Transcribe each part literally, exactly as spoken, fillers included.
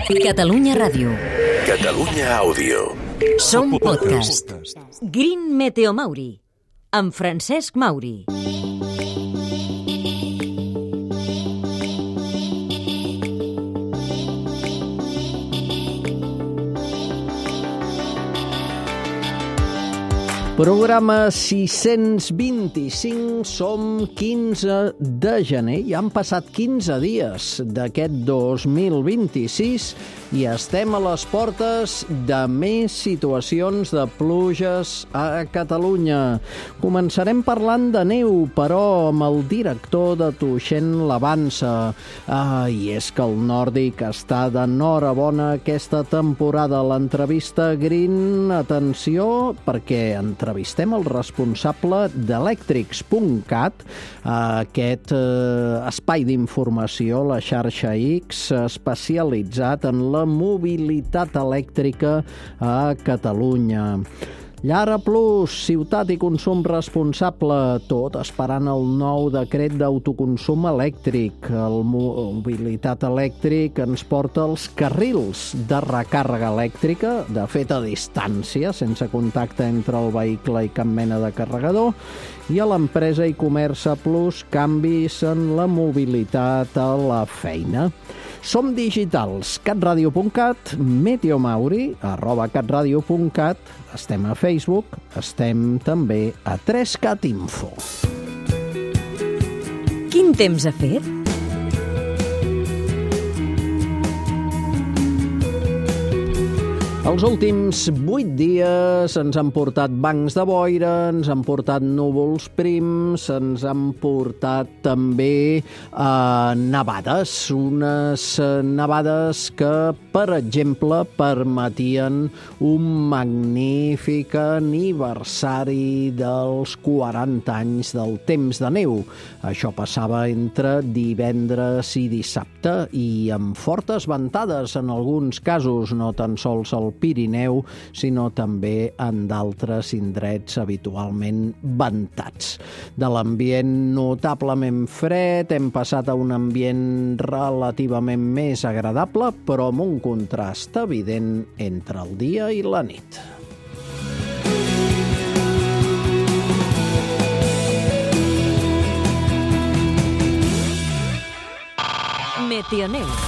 Catalunya Ràdio. Catalunya Àudio. Som podcast. Green Meteo Mauri, amb Francesc Mauri. Programa sis-cents vint-i-cinc, som quinze de gener, i han passat quinze dies d'aquest dos mil vint-i-sis i estem a les portes de més situacions de pluges a Catalunya. Començarem parlant de neu, però amb el director de Tuixén l'Avança. Ah, i és que el nòrdic està d'enhorabona aquesta temporada. L'entrevista Green, atenció, perquè entrevistem el responsable d'elèctrics punt cat, aquest eh, espai d'informació, la xarxa X, especialitzat en la mobilitat elèctrica a Catalunya. Llara Plus, ciutat i consum responsable, tot esperant el nou decret d'autoconsum elèctric. El mobilitat elèctric ens porta als carrils de recàrrega elèctrica, de fet a distància, sense contacte entre el vehicle i cap mena de carregador, i a l'empresa i comerç Plus, canvis en la mobilitat a la feina. Som digitals, catradio punt cat, Meteo Mauri, arroba catradio punt cat, estem a Facebook, estem també a tres cat info. Quin temps ha fet? Els últims vuit dies ens han portat bancs de boira, ens han portat núvols prims, ens han portat també eh, nevades, unes nevades que, per exemple, permetien un magnífic aniversari dels quaranta anys del temps de neu. Això passava entre divendres i dissabte i amb fortes ventades en alguns casos, no tan sols al Pirineu, sinó també en d'altres indrets habitualment ventats. De l'ambient notablement fred hem passat a un ambient relativament més agradable, però amb un contrast evident entre el dia i la nit. Meteoneu.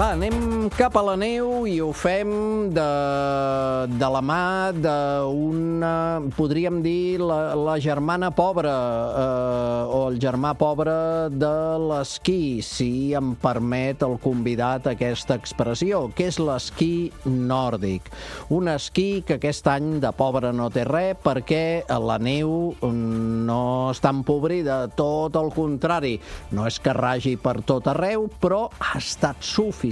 Va, anem cap a la neu i ho fem de, de la mà d'una, podríem dir, la, la germana pobra eh, o el germà pobre de l'esquí, si em permet el convidat aquesta expressió, que és l'esquí nòrdic. Un esquí que aquest any de pobre no té res perquè la neu no està empobrida, tot el contrari. No és que ragi per tot arreu, però ha estat suficient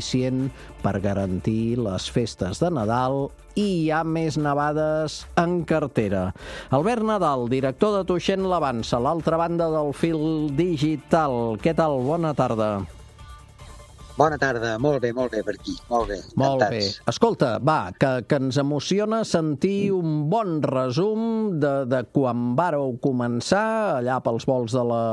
per garantir les festes de Nadal i hi ha més nevades en cartera. Albert Nadal, director de Tuixén l'Avança, a l'altra banda del fil digital. Què tal? Bona tarda. Bona tarda, molt bé, molt bé per aquí, molt bé, encantats. Molt bé. Escolta, va, que, que ens emociona sentir un bon resum de, de quan vàreu començar, allà pels volts de la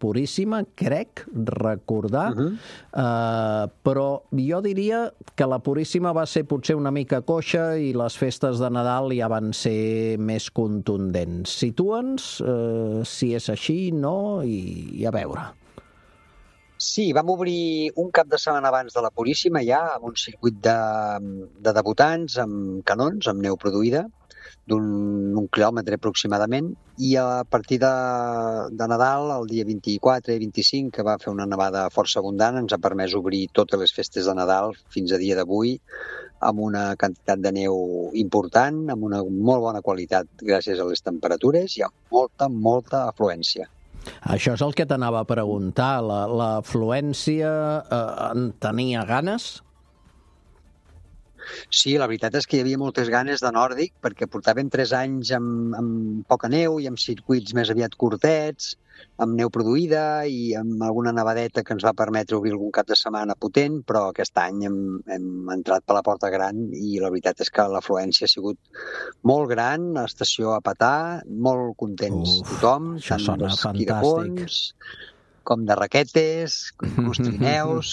Puríssima, crec recordar, uh-huh. uh, però jo diria que la Puríssima va ser potser una mica coixa i les festes de Nadal ja van ser més contundents. Situa'ns uh, si és així, no, i, i a veure. Sí, vam obrir un cap de setmana abans de la Puríssima ja, amb un circuit de, de debutants, amb canons, amb neu produïda, d'un un quilòmetre aproximadament, i a partir de, de Nadal, el dia vint-i-quatre i vint-i-cinc, que va fer una nevada força abundant, ens ha permès obrir totes les festes de Nadal fins a dia d'avui, amb una quantitat de neu important, amb una molt bona qualitat gràcies a les temperatures i amb molta, molta afluència. Això és el que t'anava a preguntar. La, la afluència eh, en tenia ganes? Sí, la veritat és que hi havia moltes ganes de nòrdic, perquè portàvem tres anys amb, amb poca neu i amb circuits més aviat curtets, amb neu produïda i amb alguna nevadeta que ens va permetre obrir algun cap de setmana potent, però aquest any hem, hem entrat per la porta gran i la veritat és que l'afluència ha sigut molt gran, l'estació a petar, molt contents Uf, tothom, això tant sona d'esquí de fantàstic. fons com de raquetes, inclús trineus.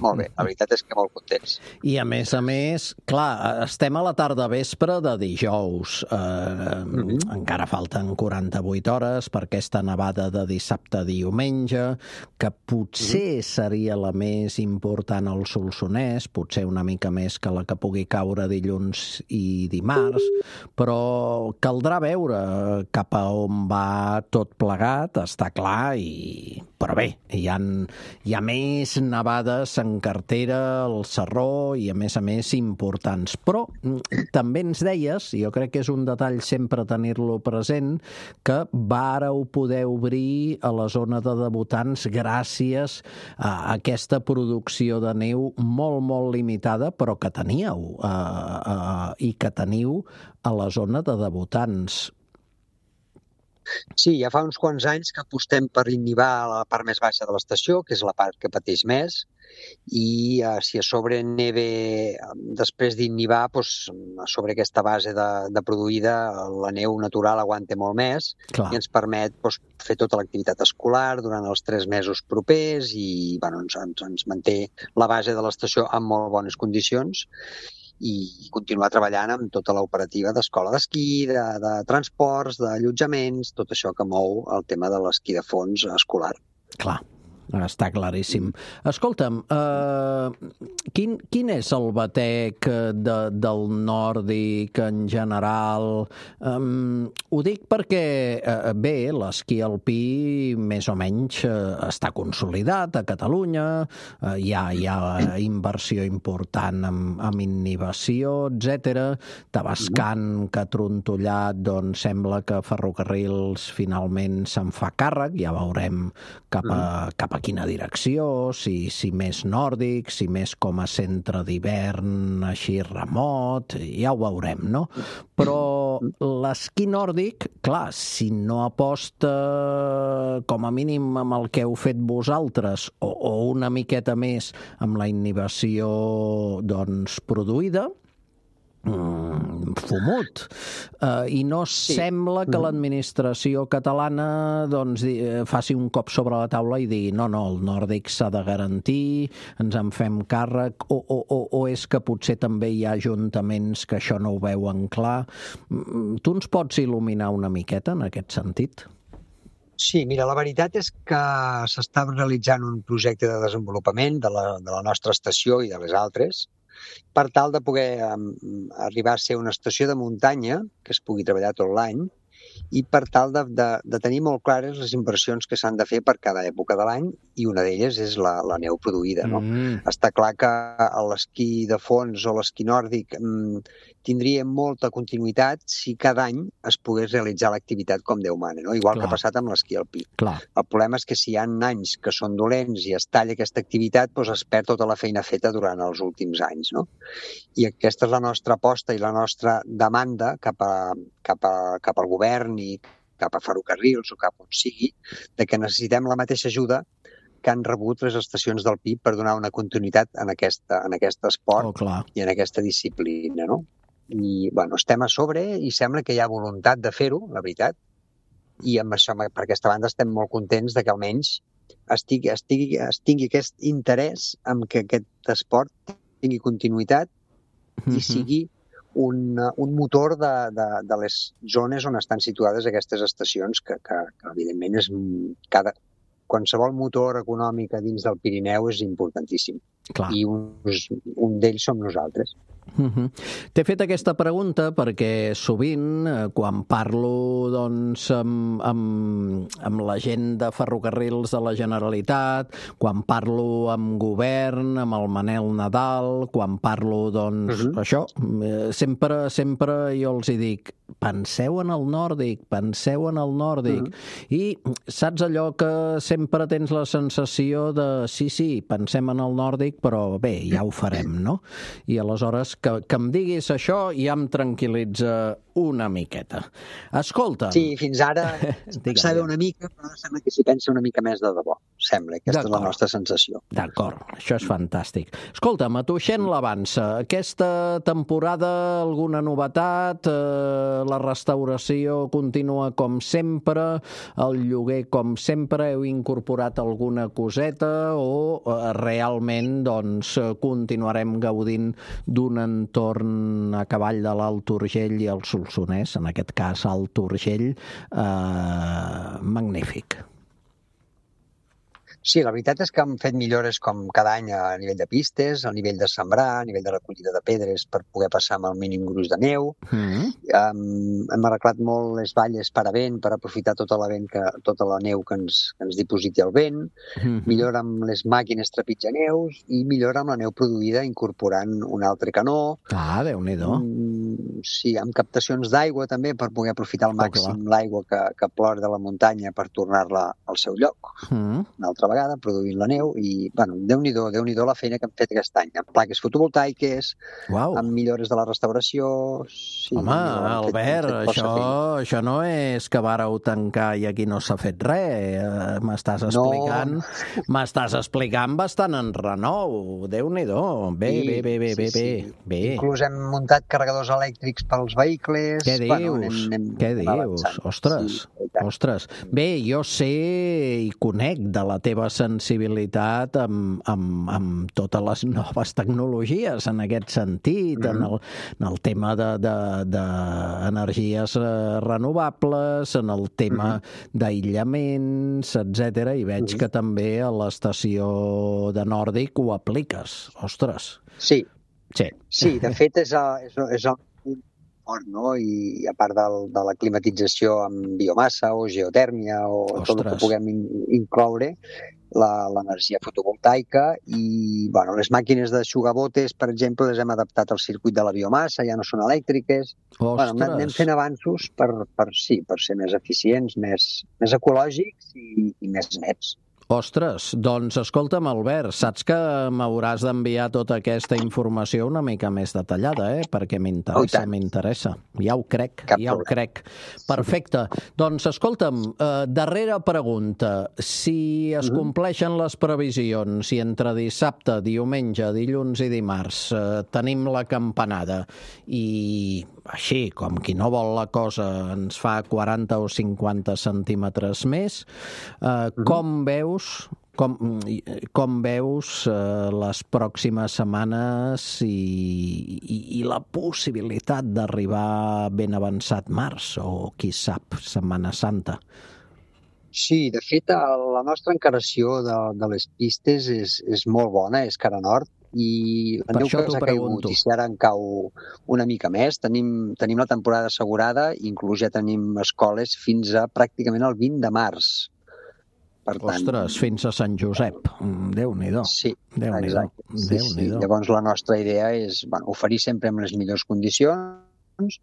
Molt bé, la veritat és que molt contents. I a més a més, clar, estem a la tarda vespre de dijous. Eh, mm-hmm. Encara falten quaranta-vuit hores per aquesta nevada de dissabte a diumenge, que potser mm-hmm. seria la més important al Solsonès, potser una mica més que la que pugui caure dilluns i dimarts, però caldrà veure cap a on va tot plegat, està clar, i... però bé, hi ha, hi ha més nevades en cartera, al Sarró, i a més a més importants. Però també ens deies, i jo crec que és un detall sempre tenir-lo present, que vàreu poder obrir a la zona de debutants gràcies a aquesta producció de neu molt, molt limitada, però que teníeu eh, eh, i que teniu a la zona de debutants. Sí, ja fa uns quants anys que apostem per inhibar la part més baixa de l'estació, que és la part que pateix més, i eh, si a sobre neve, després d'inhibar, doncs, a sobre aquesta base de, de produïda, la neu natural aguanta molt més. Clar. I ens permet doncs, fer tota l'activitat escolar durant els tres mesos propers i bueno, ens, ens, ens manté la base de l'estació en molt bones condicions i continuar treballant amb tota l'operativa d'escola d'esquí, de, de transports, d'allotjaments, tot això que mou el tema de l'esquí de fons escolar. Clar. Està claríssim. Escolta'm, eh, quin, quin és el batec de, del nòrdic en general? Um, ho dic perquè, eh, bé, l'esquí alpí més o menys eh, està consolidat a Catalunya, eh, hi, ha, hi ha inversió important amb, amb innovació, etcètera. Tabascan, que ha trontollat, doncs sembla que Ferrocarrils finalment se'n fa càrrec, ja veurem cap a, cap a quina direcció, si, si més nòrdic, si més com a centre d'hivern així remot, ja ho veurem, no? Però l'esquí nòrdic, clar, si no aposta com a mínim amb el que heu fet vosaltres o, o una miqueta més amb la innovació doncs, produïda, Mm, fumut. Uh, I no sí. sembla que l'administració catalana doncs, faci un cop sobre la taula i digui no, no, el nòrdic s'ha de garantir, ens en fem càrrec, o, o, o, o és que potser també hi ha ajuntaments que això no ho veuen clar. Mm, tu ens pots il·luminar una miqueta en aquest sentit? Sí, mira, la veritat és que s'està realitzant un projecte de desenvolupament de la, de la nostra estació i de les altres, per tal de poder um, arribar a ser una estació de muntanya que es pugui treballar tot l'any i per tal de, de, de tenir molt clares les inversions que s'han de fer per cada època de l'any i una d'elles és la, la neu produïda. No? Mm. Està clar que l'esquí de fons o l'esquí nòrdic mm, tindria molta continuïtat si cada any es pogués realitzar l'activitat com Déu mana, no? Igual clar. Que ha passat amb l'esquí alpí. Clar. El problema és que si hi ha anys que són dolents i es talla aquesta activitat, doncs es perd tota la feina feta durant els últims anys. No? I aquesta és la nostra aposta i la nostra demanda cap, a, cap, a, cap al govern i cap a Ferrocarrils o cap on sigui, de que necessitem la mateixa ajuda que han rebut les estacions del P I B per donar una continuïtat en, aquesta, en aquest esport oh, i en aquesta disciplina. No? I bueno, estem a sobre i sembla que hi ha voluntat de fer-ho, la veritat, i amb això, per aquesta banda estem molt contents de que almenys estigui, estigui, estigui aquest interès en que aquest esport tingui continuïtat mm-hmm. i sigui un, un motor de, de, de les zones on estan situades aquestes estacions, que, que, que evidentment és cada, qualsevol motor econòmic dins del Pirineu és importantíssim. Clar. I un, un d'ells som nosaltres. Uh-huh. T'he fet aquesta pregunta perquè sovint, quan parlo doncs, amb, amb, amb la gent de Ferrocarrils de la Generalitat, quan parlo amb govern, amb el Manel Nadal, quan parlo, doncs, uh-huh. això, sempre, sempre jo els hi dic, penseu en el nòrdic, penseu en el nòrdic. Uh-huh. I saps allò que sempre tens la sensació de, sí, sí, pensem en el nòrdic, elèctric, però bé, ja ho farem, no? I aleshores que, que em diguis això ja em tranquil·litza una miqueta. Escolta... Sí, fins ara pensava una mica, però sembla que s'hi pensa una mica més de debò. Sembla, aquesta és la nostra sensació. D'acord, això és fantàstic. Escolta'm, a Tuixén l'Avança, aquesta temporada alguna novetat? Eh, la restauració continua com sempre? El lloguer com sempre? Heu incorporat alguna coseta? O eh, realment doncs, continuarem gaudint d'un entorn a cavall de l'Alt Urgell i el Solsonès, en aquest cas Alt Urgell, eh, magnífic? Sí, la veritat és que hem fet millores com cada any a nivell de pistes, a nivell de sembrar, a nivell de recollida de pedres per poder passar amb el mínim gruix de neu. Mm-hmm. Um, hem arreglat molt les valles per a vent, per aprofitar tota la, vent que, tota la neu que ens, que ens dipositi el vent. Mm-hmm. Millora amb les màquines trepitjaneus i millora amb la neu produïda incorporant un altre canó. Ah, Déu-n'hi-do. Um, sí, amb captacions d'aigua també per poder aprofitar al màxim oh, l'aigua que, que plora de la muntanya per tornar-la al seu lloc. Mm-hmm. Una altra vegada, produint la neu i, bueno, Déu-n'hi-do, Déu-n'hi-do la feina que hem fet aquest any, amb plaques fotovoltaiques, wow. amb millores de la restauració... Sí, home, Albert, fet, fet això, això no és que vàreu tancar i aquí no s'ha fet res. M'estàs explicant, no. m'estàs explicant bastant en renou. Déu-n'hi-do. Bé, sí, bé, bé, bé, sí, bé, sí. bé. Inclús hem muntat carregadors elèctrics pels vehicles. Què dius? Bueno, anem, anem, Què dius? Avançant. Ostres, sí, ostres. Bé, jo sé i conec de la teva sensibilitat amb, amb, amb totes les noves tecnologies en aquest sentit, mm-hmm. en, el, en el tema d'energies de, de renovables, en el tema mm-hmm. d'aïllaments, etcètera. I veig mm-hmm. que també a l'estació de Nòrdic ho apliques. Ostres. Sí. Sí, sí de fet és, a, és, és el fort, no? I a part del, de la climatització amb biomassa o geotèrmia o Ostres. tot el que puguem in, incloure, l'energia fotovoltaica i bueno, les màquines d'aixugabotes, per exemple, les hem adaptat al circuit de la biomassa, ja no són elèctriques. Bueno, anem fent avanços per, per, sí, per ser més eficients, més, més ecològics i, i més nets. Ostres, doncs escolta'm, Albert, saps que m'hauràs d'enviar tota aquesta informació una mica més detallada, eh? Perquè m'interessa, oh, m'interessa. Ja ho crec, Cap ja problema. ho crec. Perfecte. Doncs escolta'm, eh, darrera pregunta. Si es mm-hmm. compleixen les previsions i entre dissabte, diumenge, dilluns i dimarts eh, tenim la campanada i així, com qui no vol la cosa, ens fa quaranta o cinquanta centímetres més, eh, mm-hmm. com veus Com, com veus eh, les pròximes setmanes i, i, i la possibilitat d'arribar ben avançat març o, qui sap, Setmana Santa? Sí, de fet, la nostra encaració de, de les pistes és, és molt bona, és cara nord, i la neu que ens ha caigut, i si ara en cau una mica més, tenim, tenim la temporada assegurada, inclús ja tenim escoles fins a pràcticament el vint de març. Per tant, Ostres, fins a Sant Josep. Déu-n'hi-do. Sí, Déu-n'hi-do. exacte. Sí, sí. Llavors la nostra idea és bueno, oferir sempre amb les millors condicions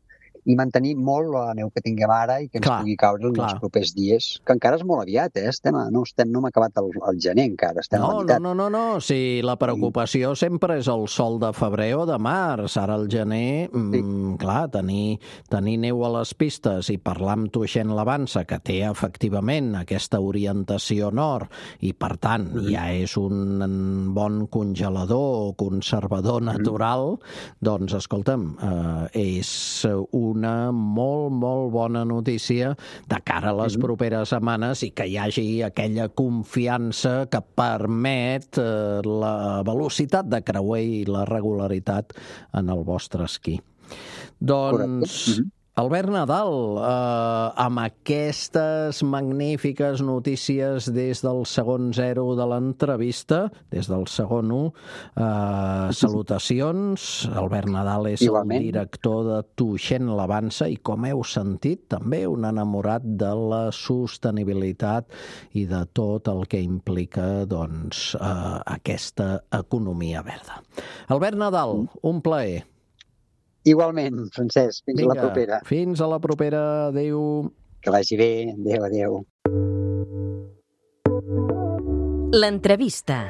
i mantenir molt la neu que tinguem ara i que ens clar, pugui caure en els propers dies, que encara és molt aviat, eh? Estem a, no, estem, no hem acabat el, el gener encara, estem no, a la meitat. No, no, no, no, si la preocupació sí. sempre és el sol de febrer o de març, ara el gener, sí. mm, clar, tenir, tenir neu a les pistes i parlar amb Tuixén l'Avança, que té efectivament aquesta orientació nord i per tant mm. ja és un bon congelador o conservador natural, mm. doncs escolta'm, eh, és un una molt, molt bona notícia de cara a les properes setmanes i que hi hagi aquella confiança que permet eh, la velocitat de creuer i la regularitat en el vostre esquí. Doncs, Albert Nadal, eh, amb aquestes magnífiques notícies des del segon zero de l'entrevista, des del segon u, eh, salutacions. Albert Nadal és Igualment. el director de Tuixén l'Avança i, com heu sentit, també un enamorat de la sostenibilitat i de tot el que implica doncs, eh, aquesta economia verda. Albert Nadal, un plaer. Igualment, Francesc. Fins Vinga, a la propera. Fins a la propera. Adéu. Que vagi bé. Adéu, adéu. L'entrevista.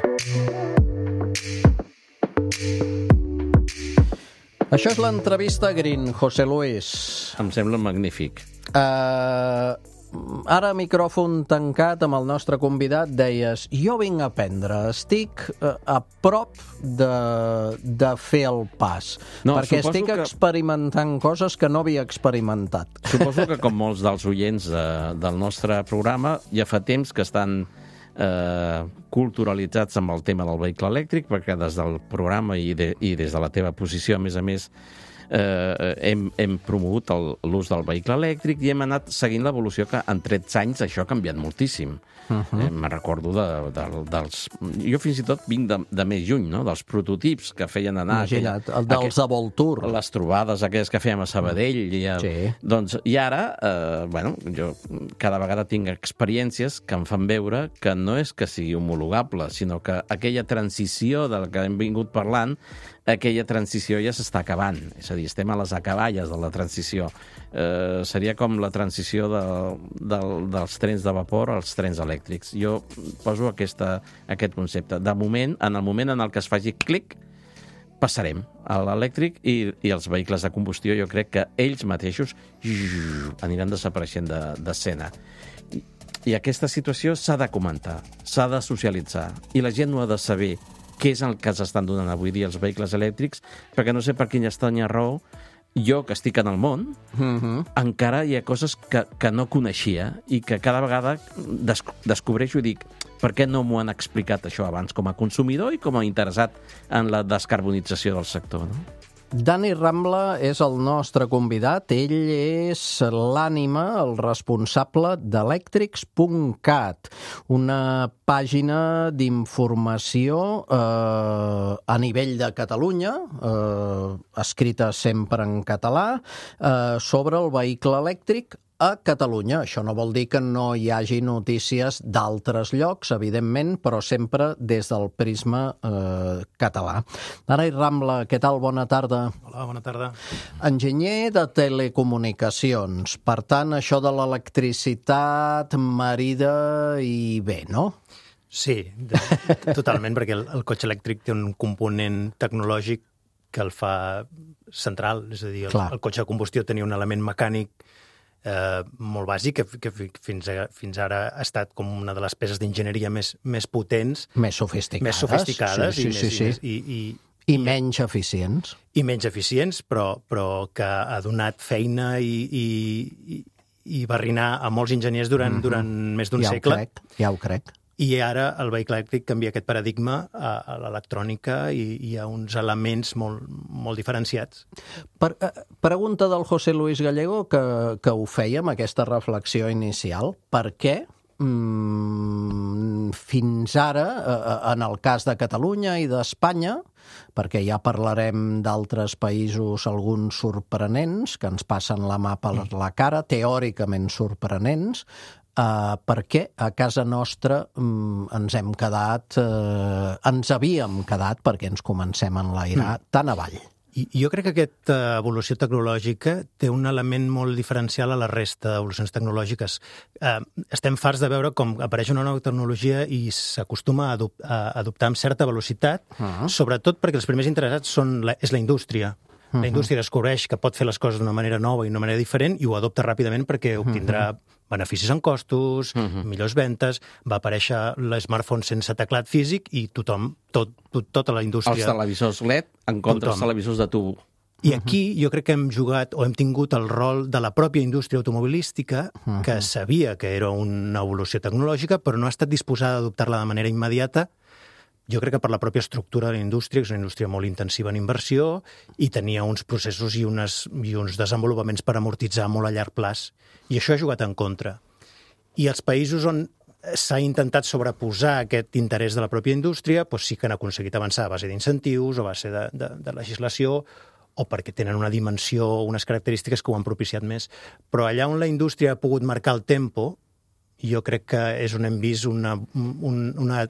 Això és l'entrevista Green, José Luis. Em sembla magnífic. Uh, ara, micròfon tancat amb el nostre convidat, deies, jo vinc a aprendre, estic uh, a prop de, de fer el pas, No, perquè suposo estic que- experimentant coses que no havia experimentat. Suposo que, com molts dels oients de, del nostre programa, ja fa temps que estan eh, culturalitzats amb el tema del vehicle elèctric, perquè des del programa i, de, i des de la teva posició, a més a més, eh, hem, hem promogut el- l'ús del vehicle elèctric i hem anat seguint l'evolució que en tretze anys això ha canviat moltíssim. Uh-huh. eh, me'n recordo de, de, dels... Jo fins i tot vinc de, de més lluny, no? Dels prototips que feien anar... Imagina't, aquell- el dels aquell- Avoltur. les trobades aquelles que fèiem a Sabadell. I, a, Sí. doncs, i ara, eh, bueno, jo cada vegada tinc experiències que em fan veure que no és que sigui homologable, sinó que aquella transició de la que hem vingut parlant, aquella transició ja s'està acabant. És a dir, estem a les acaballes de la transició. Eh, seria com la transició de, de, dels trens de vapor als trens elèctrics. Jo poso aquesta, aquest concepte. De moment, en el moment en el que es faci clic, passarem a l'elèctric i, i els vehicles de combustió, jo crec que ells mateixos aniran desapareixent d'escena. I, I aquesta situació s'ha de comentar, s'ha de socialitzar, i la gent no ha de saber què és el que s'estan donant avui dia els vehicles elèctrics, perquè no sé per quina estranya raó, jo, que estic en el món, Uh-huh. encara hi ha coses que, que no coneixia i que cada vegada des descobreixo i dic, per què no m'ho han explicat això abans com a consumidor i com a interessat en la descarbonització del sector, no? Dani Rambla és el nostre convidat. Ell és l'ànima, el responsable d'elèctrics punt cat, una pàgina d'informació eh, a nivell de Catalunya, eh, escrita sempre en català, eh, sobre el vehicle elèctric a Catalunya. Això no vol dir que no hi hagi notícies d'altres llocs, evidentment, però sempre des del prisma eh, català. Dani Rambla, què tal? Bona tarda. Hola, bona tarda. Enginyer de telecomunicacions. Per tant, això de l'electricitat marida i bé, no? Sí, de, totalment, perquè el, el cotxe elèctric té un component tecnològic que el fa central, és a dir, el, Clar. el cotxe de combustió tenia un element mecànic eh, molt bàsic que, que fins, a, fins ara ha estat com una de les peces d'enginyeria més, més potents, Més sofisticades. més sofisticades sí, i, sí, més, sí, i, sí. més, i, i, I menys eficients. i menys eficients, però, però que ha donat feina i, i, i, i barrinar a molts enginyers durant, mm-hmm. durant més d'un ja segle. Ho crec, ja ho crec. I ara el vehicle elèctric canvia aquest paradigma a, a l'electrònica i hi ha uns elements molt, molt diferenciats. Per, eh, pregunta del José Luis Gallego, que, que ho fèiem, aquesta reflexió inicial. Per què mm, fins ara, eh, en el cas de Catalunya i d'Espanya, perquè ja parlarem d'altres països, alguns sorprenents, que ens passen la mà per la cara, teòricament sorprenents, Uh, perquè a casa nostra um, ens hem quedat, uh, ens havíem quedat, perquè ens comencem a enlairar, mm. tan avall. I jo crec que aquesta evolució tecnològica té un element molt diferencial a la resta d'evolucions tecnològiques. Eh, estem farts de veure com apareix una nova tecnologia i s'acostuma a, adop a adoptar amb certa velocitat, uh-huh. sobretot perquè els primers interessats són la, és la indústria. La indústria descobreix que pot fer les coses d'una manera nova i d'una manera diferent i ho adopta ràpidament perquè obtindrà beneficis en costos, uh-huh. millors ventes, va aparèixer l'smartphone sense teclat físic i tothom, tot, tot, tota la indústria... Els televisors L E D en contra dels televisors de tubo. I aquí jo crec que hem jugat o hem tingut el rol de la pròpia indústria automobilística, uh-huh. que sabia que era una evolució tecnològica, però no ha estat disposada a adoptar-la de manera immediata. Jo crec que per la pròpia estructura de la indústria, que és una indústria molt intensiva en inversió, i tenia uns processos i, unes, i uns desenvolupaments per amortitzar molt a llarg plaç. I això ha jugat en contra. I els països on s'ha intentat sobreposar aquest interès de la pròpia indústria, doncs sí que han aconseguit avançar a base d'incentius, a base de, de, de legislació, o perquè tenen una dimensió, unes característiques que ho han propiciat més. Però allà on la indústria ha pogut marcar el tempo, jo crec que és on hem vist una... Un, una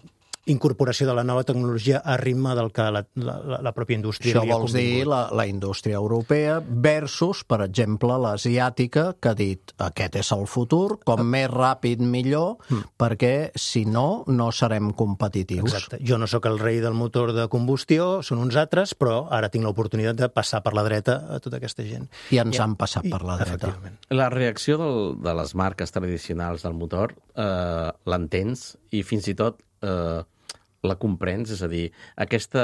incorporació de la nova tecnologia a ritme del que la, la, la pròpia indústria Això havia vols dir convingut. la, la indústria europea versus, per exemple, l'asiàtica, que ha dit aquest és el futur, com més ràpid millor, mm. perquè si no, no serem competitius. Exacte. Jo no sóc el rei del motor de combustió, són uns altres, però ara tinc l'oportunitat de passar per la dreta a tota aquesta gent. I ens I, han passat i, per la dreta. Efectivament. La reacció del, de les marques tradicionals del motor eh, l'entens i fins i tot eh, la comprens, és a dir, aquesta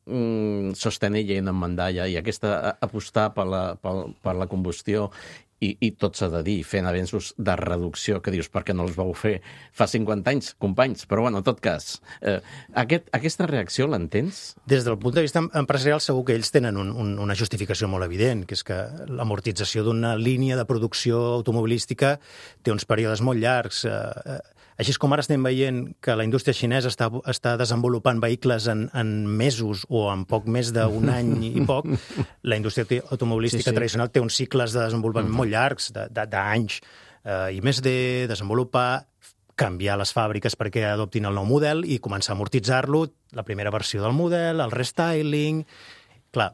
mm, sostenir en mandalla i aquesta apostar per la, per, per la combustió i, i tot s'ha de dir, fent avenços de reducció, que dius, per què no els vau fer fa cinquanta anys, companys? Però, bueno, en tot cas, eh, aquest, aquesta reacció l'entens? Des del punt de vista empresarial, segur que ells tenen un, un, una justificació molt evident, que és que l'amortització d'una línia de producció automobilística té uns períodes molt llargs. Eh, Així com ara estem veient que la indústria xinesa està, està desenvolupant vehicles en, en mesos o en poc més d'un any i poc, la indústria automobilística sí, sí. tradicional té uns cicles de desenvolupament mm-hmm. molt llargs, d'anys, eh, i més de desenvolupar, canviar les fàbriques perquè adoptin el nou model i començar a amortitzar-lo, la primera versió del model, el restyling... Clar,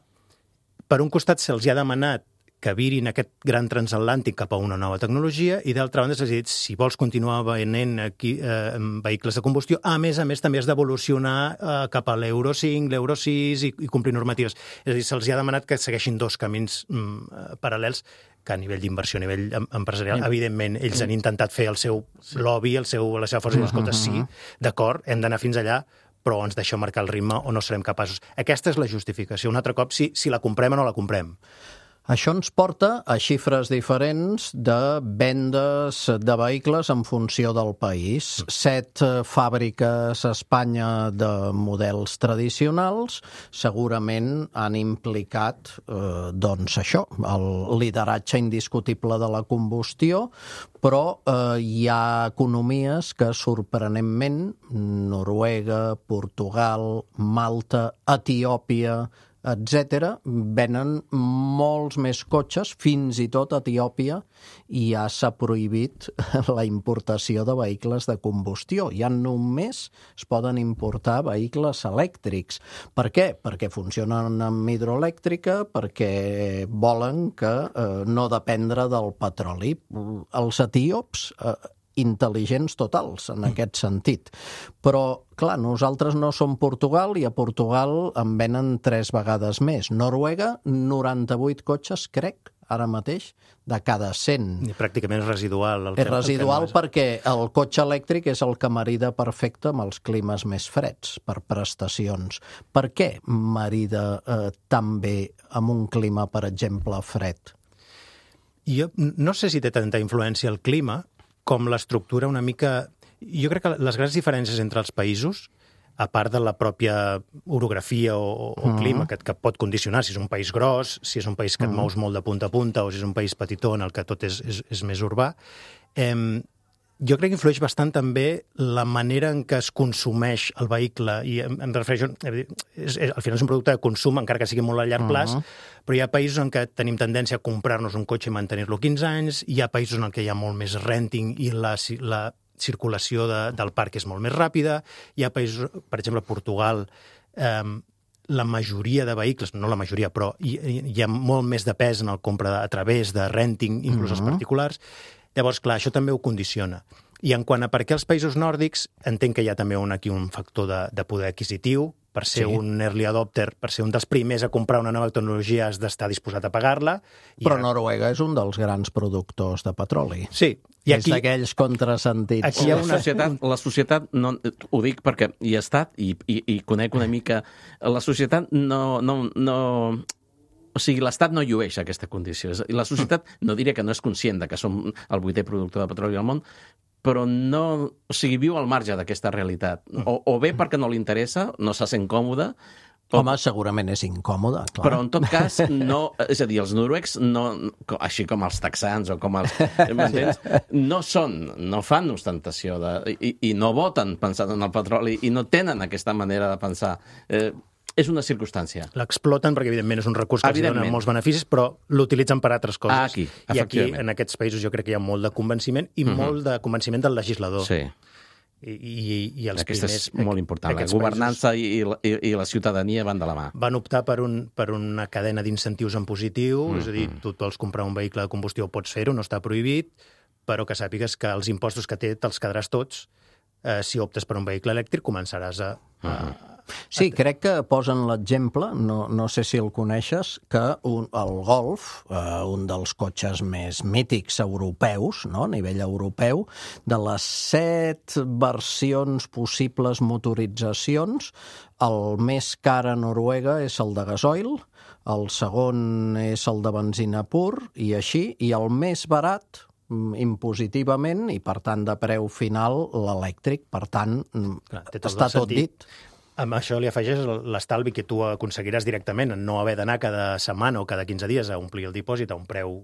per un costat se'ls ha demanat que virin aquest gran transatlàntic cap a una nova tecnologia i, d'altra banda, s'ha dit, si vols continuar venent aquí, eh, vehicles de combustió, a més a més també has d'evolucionar eh, cap a l'Euro cinc, l'Euro sis i, i complir normatives. És a dir, se'ls ha demanat que segueixin dos camins mm, paral·lels que a nivell d'inversió, a nivell empresarial, evidentment, ells han intentat fer el seu lobby, el seu, la seva força, i escolta, sí, d'acord, hem d'anar fins allà, però ens deixeu marcar el ritme o no serem capaços. Aquesta és la justificació. Un altre cop, si, si la comprem o no la comprem. Això ens porta a xifres diferents de vendes de vehicles en funció del país. Set fàbriques a Espanya de models tradicionals segurament han implicat eh, doncs això, el lideratge indiscutible de la combustió, però eh, hi ha economies que sorprenentment, Noruega, Portugal, Malta, Etiòpia, etcètera, venen molts més cotxes, fins i tot a Etiòpia, i ja s'ha prohibit la importació de vehicles de combustió. Ja només es poden importar vehicles elèctrics. Per què? Perquè funcionen amb hidroelèctrica, perquè volen que eh, no dependre del petroli. Els etíops eh, intel·ligents totals, en aquest sentit. Però, clar, nosaltres no som Portugal i a Portugal en venen tres vegades més. Noruega, noranta-vuit cotxes, crec, ara mateix, de cada cent. I pràcticament és residual. El és residual el perquè el cotxe elèctric és el que marida perfecte amb els climes més freds, per prestacions. Per què marida eh, tan bé amb un clima, per exemple, fred? Jo no sé si té tanta influència el clima, com l'estructura una mica... Jo crec que les grans diferències entre els països, a part de la pròpia orografia o, o clima, que, que pot condicionar si és un país gros, si és un país que et mous molt de punta a punta o si és un país petitó en el que tot és, és, és més urbà, eh, jo crec que influeix bastant també la manera en què es consumeix el vehicle, i em, em refereixo... És, és, al final és un producte de consum, encara que sigui molt a llarg plaç, uh -huh. però hi ha països en què tenim tendència a comprar-nos un cotxe i mantenir-lo quinze anys, hi ha països en què hi ha molt més renting i la, la circulació de, del parc és molt més ràpida, hi ha països, per exemple, Portugal, eh, la majoria de vehicles, no la majoria, però hi, hi ha molt més de pes en el compra a través de renting, inclús uh -huh. els particulars. Llavors, clar, això també ho condiciona. I en quant a per què els països nòrdics, entenc que hi ha també un, aquí un factor de, de poder adquisitiu. Per ser sí. un early adopter, per ser un dels primers a comprar una nova tecnologia, has d'estar disposat a pagar-la. Però ara... Noruega és un dels grans productors de petroli. Sí. I aquí... És d'aquells contrasentits. Aquí hi ha una societat, la societat, no, ho dic perquè hi he estat i, i, i conec una mica... La societat no... no, no O sigui, l'Estat no llueix aquesta condició. La societat, no diria que no és conscient de que som el vuitè productor de petroli al món, però no... O sigui, viu al marge d'aquesta realitat. O, o bé perquè no li interessa, no se sent còmode... O... Home, segurament és incòmode, clar. Però, en tot cas, no... És a dir, els noruecs, no, així com els texans o com els... M'entens? No són, no fan ostentació de, i, i no voten pensant en el petroli i no tenen aquesta manera de pensar... Eh, És una circumstància. L'exploten perquè, evidentment, és un recurs que els dona molts beneficis, però l'utilitzen per altres coses. Ah, aquí, I aquí, en aquests països, jo crec que hi ha molt de convenciment i uh-huh. molt de convenciment del legislador. Sí. I, i, i els Aquesta primers... és molt important. La governança i, i, i la ciutadania van de la mà. Van optar per, un, per una cadena d'incentius en positiu, mm -hmm. és a dir, tu et vols comprar un vehicle de combustió, pots fer-ho, no està prohibit, però que sàpigues que els impostos que té te'ls quedaràs tots. Eh, si optes per un vehicle elèctric, començaràs a... a, a Sí, crec que posen l'exemple, no, no sé si el coneixes, que un, el Golf, eh, un dels cotxes més mítics europeus, no? A nivell europeu, de les set versions possibles motoritzacions, el més car a Noruega és el de gasoil, el segon és el de benzina pur, i així, i el més barat, impositivament, i per tant de preu final, l'elèctric. Per tant, Clar, està tot dit. Amb això li afegeix l'estalvi que tu aconseguiràs directament en no haver d'anar cada setmana o cada quinze dies a omplir el dipòsit a un preu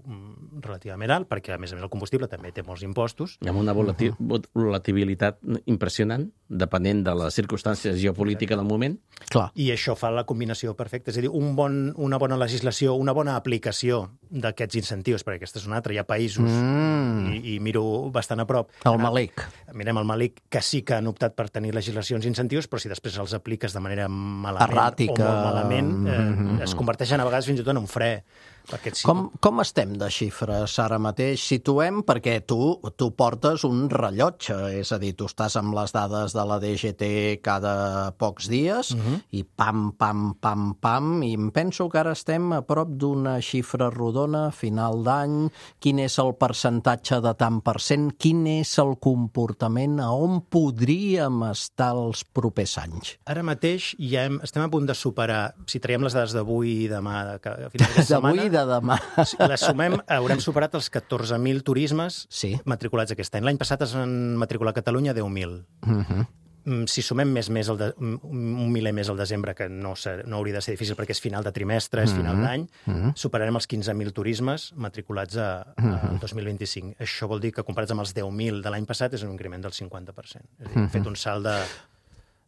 relativament alt, perquè a més a més el combustible també té molts impostos. I amb una volati- volatilitat impressionant, depenent de les circumstàncies geopolítiques del moment. Clar. I això fa la combinació perfecta. És a dir, un bon, una bona legislació, una bona aplicació d'aquests incentius, perquè aquesta és una altra. Hi ha països, mm. i, i miro bastant a prop. El Malik. Mirem el Malik, que sí que han optat per tenir legislacions i incentius, però si després els apliques de manera malament erràtica, o molt malament, eh, mm-hmm. es converteixen a vegades fins i tot en un fre. Sí, com, com estem de xifres ara mateix? Situem, perquè tu, tu portes un rellotge, és a dir, tu estàs amb les dades de la D G T cada pocs dies, uh-huh. i pam, pam, pam, pam, i em penso que ara estem a prop d'una xifra rodona a final d'any. Quin és el percentatge de tant per cent? Quin és el comportament? A on podríem estar els propers anys? Ara mateix ja hem, estem a punt de superar, si traiem les dades d'avui i demà, de, a final de setmana, de demà. Si les sumem, haurem superat els catorze mil turismes sí. matriculats aquest any. L'any passat es van matricular a Catalunya deu mil. Uh-huh. Si sumem més, més el de, un miler més al desembre, que no, ser, no hauria de ser difícil perquè és final de trimestre, és final uh-huh. d'any, uh-huh. superarem els quinze mil turismes matriculats a, a uh-huh. dos mil vint-i-cinc. Això vol dir que comparats amb els deu mil de l'any passat és un increment del cinquanta per cent. És a dir, hem uh-huh. fet un salt de...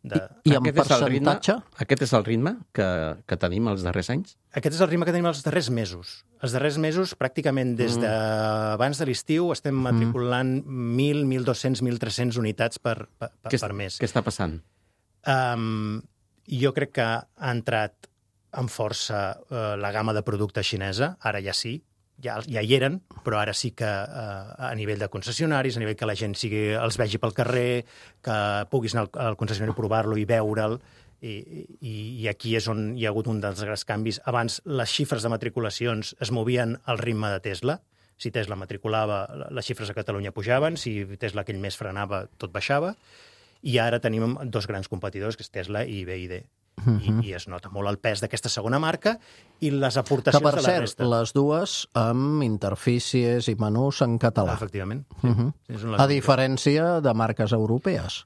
De... I, i en aquest percentatge? És ritme, aquest és el ritme que, que tenim els darrers anys? Aquest és el ritme que tenim els darrers mesos. Els darrers mesos, pràcticament des d'abans de l'estiu, estem matriculant mil, mil dos-cents, mil tres-cents unitats per, per, per, per mes. Què està passant? Um, jo crec que ha entrat amb força uh, la gamma de producte xinesa, ara ja sí, ja, ja hi eren, però ara sí que eh, a nivell de concessionaris, a nivell que la gent sigui, els vegi pel carrer, que puguis anar al, al concessionari a provar-lo i veure'l, i, i, i aquí és on hi ha hagut un dels grans canvis. Abans les xifres de matriculacions es movien al ritme de Tesla. Si Tesla matriculava, les xifres a Catalunya pujaven, si Tesla aquell mes frenava, tot baixava, i ara tenim dos grans competidors, que és Tesla i B Y D. Uh-huh. I, i es nota molt el pes d'aquesta segona marca i les aportacions que, per de la cert, resta. Les dues amb interfícies i menús en català. Efectivament. Sí. Uh-huh. És una a diferència de marques europees.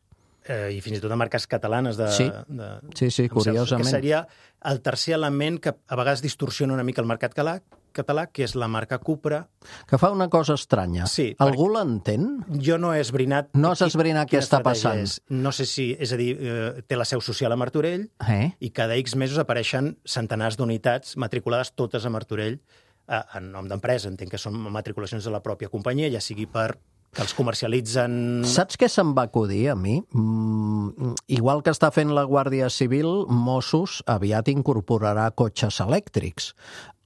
Eh, I fins i tot de marques catalanes. De, sí. de, sí, sí, curiosament. Que seria el tercer element que a vegades distorsiona una mica el mercat català, català, que és la marca Cupra. Que fa una cosa estranya. Sí, algú l'entén? Jo no he esbrinat... No has esbrinat què està passant? És. No sé si... És a dir, eh, té la seu social a Martorell eh? i cada X mesos apareixen centenars d'unitats matriculades totes a Martorell eh, en nom d'empresa. Entenc que són matriculacions de la pròpia companyia, ja sigui per que els comercialitzen... Saps què se'm va acudir a mi? Mm, igual que està fent la Guàrdia Civil, Mossos aviat incorporarà cotxes elèctrics.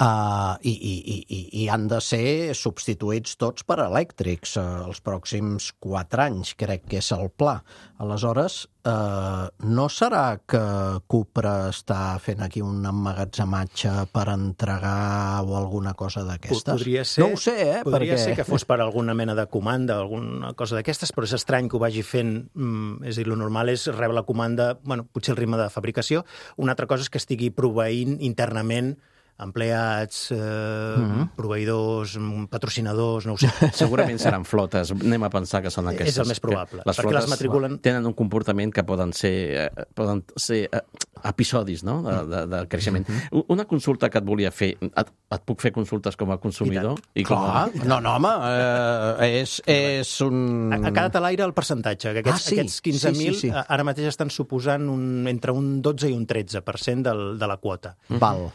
Uh, i, i, i, i han de ser substituïts tots per elèctrics uh, els pròxims quatre anys, crec que és el pla. Aleshores, uh, no serà que Cupra està fent aquí un emmagatzematge per entregar o alguna cosa d'aquestes? Podria ser, no ho sé, eh? Podria perquè... ser que fos per alguna mena de comanda, alguna cosa d'aquestes, però és estrany que ho vagi fent. Mm, és a dir, el normal és rebre la comanda, bueno, potser el ritme de fabricació. Una altra cosa és que estigui proveint internament empleats, eh, mm-hmm. proveïdors, patrocinadors, no ho sé. Segurament seran flotes, anem a pensar que són aquestes. És el més probable. Les perquè flotes les matriculen... tenen un comportament que poden ser, eh, poden ser eh, episodis, no?, de, de, de creixement. Mm-hmm. Una consulta que et volia fer, et, et puc fer consultes com a consumidor? I, I com a... No, no, home, eh, és, és un... A, a cada talaire el percentatge, que aquests, ah, sí? aquests quinze mil sí, sí, sí. ara mateix estan suposant un, entre un dotze i un tretze per cent del, de la quota. Val.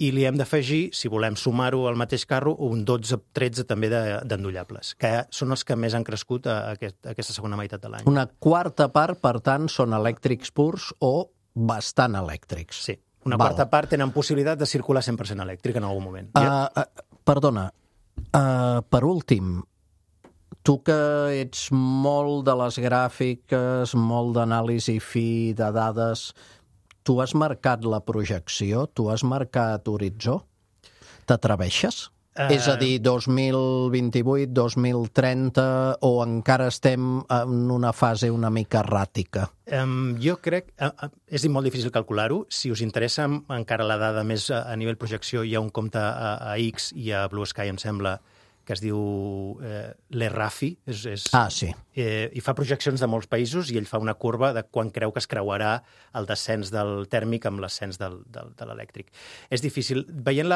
i li hem d'afegir, si volem sumar-ho al mateix carro, un dotze tretze també d'endollables, que són els que més han crescut a, aquest, a aquesta segona meitat de l'any. Una quarta part, per tant, són elèctrics purs o bastant elèctrics. Sí, una Val. quarta part tenen possibilitat de circular cent per cent elèctric en algun moment. Uh, uh, perdona, uh, per últim, tu que ets molt de les gràfiques, molt d'anàlisi fi, de dades, tu has marcat la projecció? Tu has marcat horitzó? T'atreveixes? Uh... És a dir, dos mil vint-i-vuit, dos mil trenta, o encara estem en una fase una mica erràtica? Um, jo crec... Uh, és molt difícil calcular-ho. Si us interessa encara la dada més a, a nivell projecció, hi ha un compte a, a X i a Blue Sky, em sembla, que es diu eh, l'Errafi. És, és, ah, sí. Eh, I fa projeccions de molts països i ell fa una curva de quan creu que es creuarà el descens del tèrmic amb l'ascens del, del, de l'elèctric. És difícil. Veient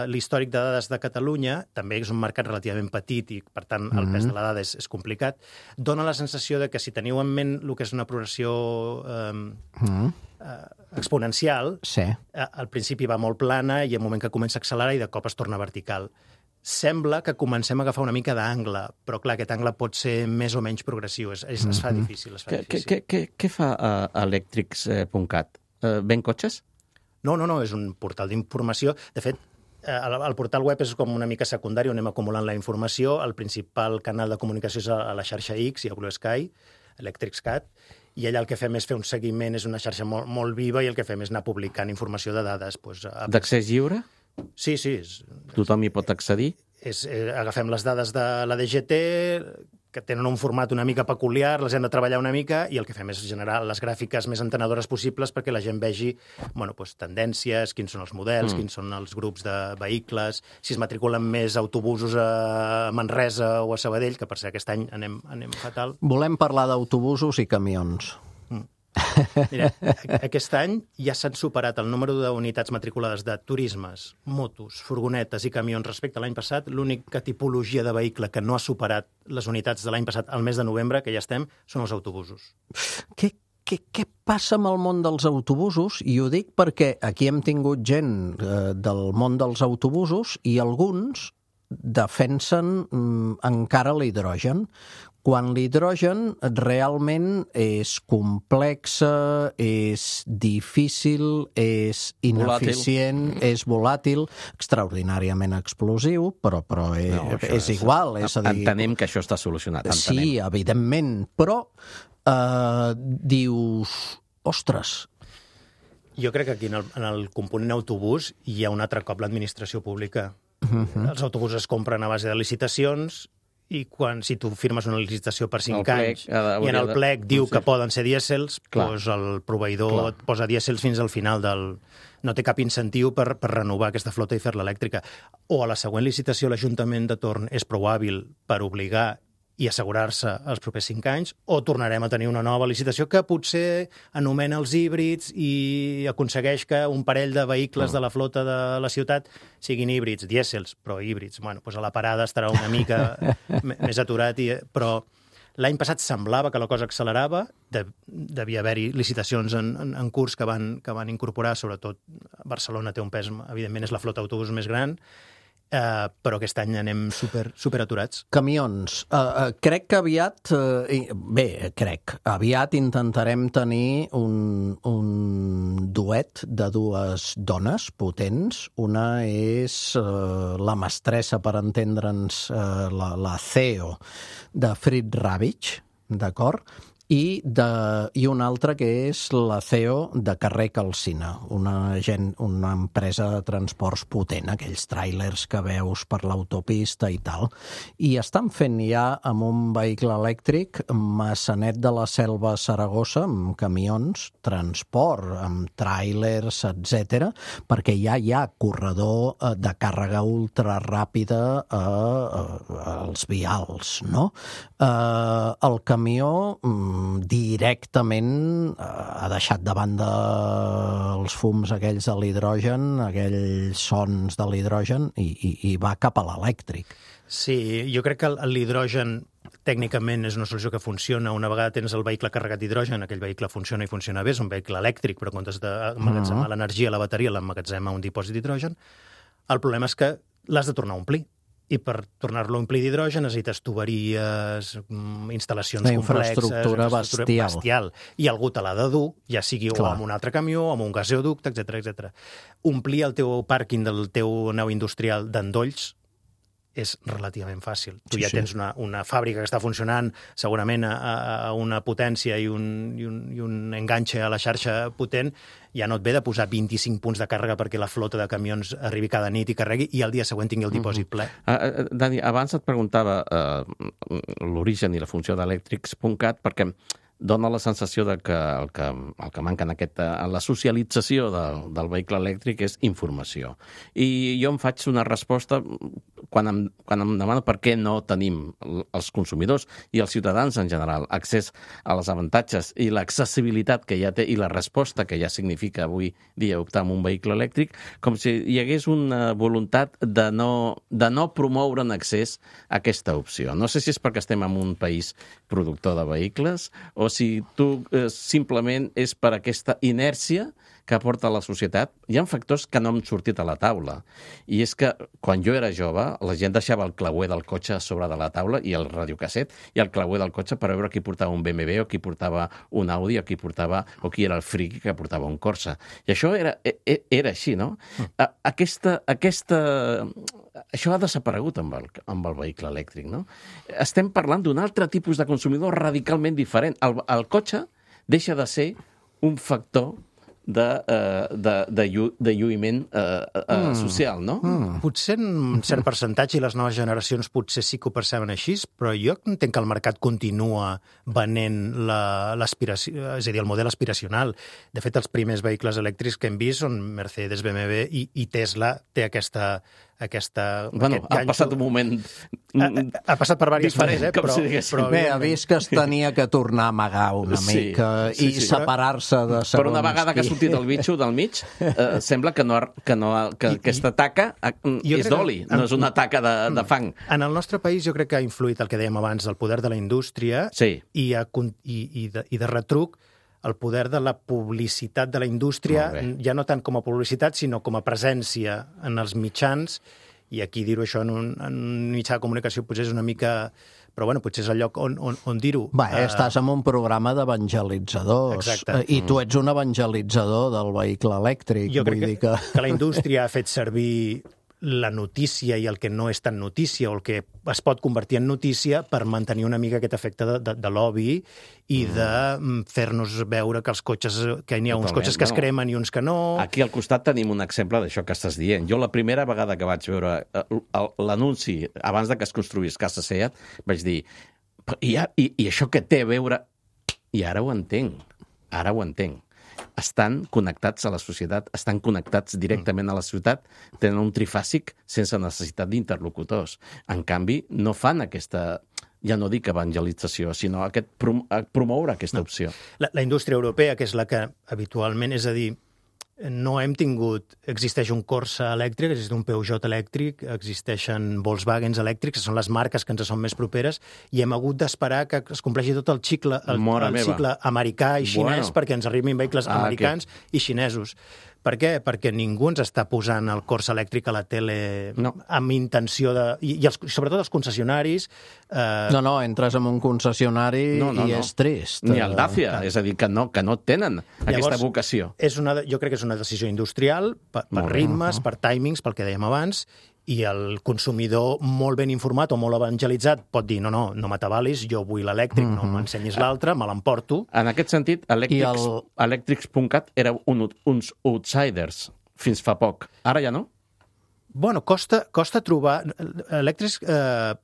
l'històric de dades de Catalunya, també és un mercat relativament petit i, per tant, el mm-hmm. pes de la dada és, és complicat, dona la sensació de que si teniu en ment el que és una progressió eh, mm-hmm. eh, exponencial, sí. eh, al principi va molt plana i al moment que comença a accelerar i de cop es torna vertical. Sembla que comencem a agafar una mica d'angle, però clar, aquest angle pot ser més o menys progressiu. Es, es, es fa difícil. Es fa què, difícil. Què, què fa uh, electrics punt cat? Uh, ven cotxes? No, no, no, és un portal d'informació. De fet, el, el portal web és com una mica secundari, on anem acumulant la informació. El principal canal de comunicació és a, a la xarxa X i a Blue Sky, Electrics Cat, i allà el que fem és fer un seguiment, és una xarxa molt, molt viva, i el que fem és anar publicant informació de dades. Doncs, a... D'accés lliure? Sí, sí. És, tothom hi pot accedir? És, eh, agafem les dades de la D G T, que tenen un format una mica peculiar, les hem de treballar una mica, i el que fem és generar les gràfiques més entenedores possibles perquè la gent vegi bueno, doncs, tendències, quins són els models, mm. quins són els grups de vehicles, si es matriculen més autobusos a Manresa o a Sabadell, que per ser aquest any anem, anem fatal. Volem parlar d'autobusos i camions. Mira, aquest any ja s'han superat el número d'unitats matriculades de turismes, motos, furgonetes i camions respecte a l'any passat. L'única tipologia de vehicle que no ha superat les unitats de l'any passat, al mes de novembre, que ja estem, són els autobusos. Què, què, què passa amb el món dels autobusos? I ho dic perquè aquí hem tingut gent eh, del món dels autobusos i alguns defensen mm, encara l'hidrogen, quan l'hidrogen realment és complexa, és difícil, és ineficient, volàtil. és volàtil, extraordinàriament explosiu, però, però és, no, és, és igual. És a dir, entenem que això està solucionat. Entenem. Sí, evidentment, però eh, dius, ostres... Jo crec que aquí en el, en el component autobús hi ha un altre cop l'administració pública. Uh-huh. Els autobusos es compren a base de licitacions i quan, si tu firmes una licitació per cinc anys i en el plec diu que poden ser dièsels, doncs el proveïdor Clar. et posa dièsels fins al final del... No té cap incentiu per, per renovar aquesta flota i fer-la elèctrica. O a la següent licitació l'Ajuntament de torn és prou hàbil per obligar i assegurar-se els propers cinc anys, o tornarem a tenir una nova licitació que potser anomena els híbrids i aconsegueix que un parell de vehicles de la flota de la ciutat siguin híbrids, dièsels, però híbrids. Bueno, doncs a la parada estarà una mica més aturat, i, però l'any passat semblava que la cosa accelerava, de, devia haver-hi licitacions en, en, en curs que van, que van incorporar, sobretot Barcelona té un pes, evidentment és la flota d'autobús més gran, Uh, però aquest any anem super, super aturats. Camions. Uh, uh, crec que aviat, uh, bé, crec, aviat intentarem tenir un, un duet de dues dones potents. Una és uh, la mestressa, per entendre'ns, uh, la, la C E O de Fritz Ravitch, d'acord? I, de, i una altra que és la C E O de Carrer Calcina, una, gent, una empresa de transports potent, aquells tràilers que veus per l'autopista i tal. I estan fent ja amb un vehicle elèctric Massanet de la Selva a Saragossa, amb camions, transport, amb tràilers, etcètera, perquè ja hi ha corredor de càrrega ultraràpida a, a, als vials, no? Uh, el camió directament ha deixat de banda els fums aquells de l'hidrogen, aquells sons de l'hidrogen, i, i, i va cap a l'elèctric. Sí, jo crec que l'hidrogen tècnicament és una solució que funciona. Una vegada tens el vehicle carregat d'hidrogen, aquell vehicle funciona i funciona bé, és un vehicle elèctric, però en comptes d'emmagatzemar uh-huh. l'energia a la bateria, l'emmagatzema a un dipòsit d'hidrogen. El problema és que l'has de tornar a omplir. I per tornar-lo a omplir d'hidrogen necessites tuberies, instal·lacions una complexes... infraestructura bestial. bestial. I algú te l'ha de dur, ja sigui Clar. o amb un altre camió, o amb un gasoducte, etcètera, etcètera. Omplir el teu pàrquing del teu nau industrial d'endolls és relativament fàcil. Tu sí, ja sí. tens una, una fàbrica que està funcionant segurament a, a una potència i un, i, un, i un enganxe a la xarxa potent, ja no et ve de posar vint-i-cinc punts de càrrega perquè la flota de camions arribi cada nit i carregui i al dia següent tingui el dipòsit ple. Uh, uh, Dani, abans et preguntava uh, l'origen i la funció d'Electrics punt cat perquè dona la sensació de que el que, el que manca en, aquest, en la socialització del, del vehicle elèctric és informació. I jo em faig una resposta quan em, quan em demano per què no tenim els consumidors i els ciutadans en general accés a les avantatges i l'accessibilitat que ja té i la resposta que ja significa avui dia optar en un vehicle elèctric, com si hi hagués una voluntat de no, de no promoure en accés a aquesta opció. No sé si és perquè estem en un país productor de vehicles o si tu eh, simplement és per aquesta inèrcia que aporta la societat. Hi ha factors que no han sortit a la taula. I és que quan jo era jove, la gent deixava el clauer del cotxe a sobre de la taula i el radiocasset i el clauer del cotxe per veure qui portava un B M W o qui portava un Audi o qui portava o qui era el friqui que portava un Corsa. I això era, era així, no? Aquesta, aquesta... Això ha desaparegut amb el, amb el vehicle elèctric, no? Estem parlant d'un altre tipus de consumidor radicalment diferent. El, el cotxe deixa de ser un factor de, uh, de, de, llu, de lluïment uh, uh, mm. social, no? Mm. Potser en un cert percentatge i les noves generacions potser sí que ho perceben així, però jo entenc que el mercat continua venent l'aspiració, és a dir, el model aspiracional. De fet, els primers vehicles elèctrics que hem vist són Mercedes, B M W i, i Tesla té aquesta... aquesta... Bueno, ha passat un moment... Ha, ha passat per diverses diferent, eh? però, si però bé, ha vist que es tenia que tornar a amagar una sí, mica sí, i sí, separar-se de segons Però una vegada que ha sortit el bitxo del mig, eh, sembla que, no, que, no, que I, aquesta taca és d'oli, no és una taca de, de fang. En el nostre país jo crec que ha influït el que dèiem abans, el poder de la indústria sí. i, a, i, i, de, i de retruc el poder de la publicitat de la indústria, ja no tant com a publicitat, sinó com a presència en els mitjans, i aquí dir-ho això en un, en un mitjà de comunicació potser és una mica... Però bueno, potser és el lloc on, on, on dir-ho. Bé, uh... estàs en un programa d'evangelitzadors. Exacte. I tu ets un evangelitzador del vehicle elèctric. Jo crec vull que, dir que... que la indústria ha fet servir la notícia i el que no és tan notícia o el que es pot convertir en notícia per mantenir una mica aquest efecte de, de, de lobby i mm. de fer-nos veure que els cotxes, que n'hi ha uns cotxes que es cremen i uns que no... Aquí al costat tenim un exemple d'això que estàs dient. Jo la primera vegada que vaig veure l'anunci, abans de que es construís Casa Seat, vaig dir, I, i, i això què té a veure? I ara ho entenc, ara ho entenc. Estan connectats a la societat, estan connectats directament a la ciutat, tenen un trifàsic sense necessitat d'interlocutors. En canvi, no fan aquesta, ja no dic evangelització, sinó aquest prom promoure aquesta opció. No. La, la indústria europea, que és la que habitualment, és a dir, no hem tingut... Existeix un Corsa elèctric, existeix un Peugeot elèctric, existeixen Volkswagens elèctrics, que són les marques que ens són més properes, i hem hagut d'esperar que es compleixi tot el cicle, el, el cicle americà i xinès bueno. perquè ens arribin vehicles ah, americans que... i xinesos. Per què? Perquè ningú ens està posant el Corsa elèctric a la tele no. amb intenció de... I, i els, sobretot els concessionaris... Eh... No, no, entres en un concessionari no, no, i no. és trist. Ni el Dacia, eh... és a dir, que no, que no tenen Llavors, aquesta vocació. És una, jo crec que és una decisió industrial, per, per ritmes, uh -huh. per timings, pel que dèiem abans, i el consumidor molt ben informat o molt evangelitzat pot dir, no, no, no m'atabalis, jo vull l'elèctric, mm -hmm. no m'ensenyis l'altre, me l'emporto. En aquest sentit, Electrics punt cat el... era un, uns outsiders fins fa poc. Ara ja no? Bueno, costa, costa trobar... Electrics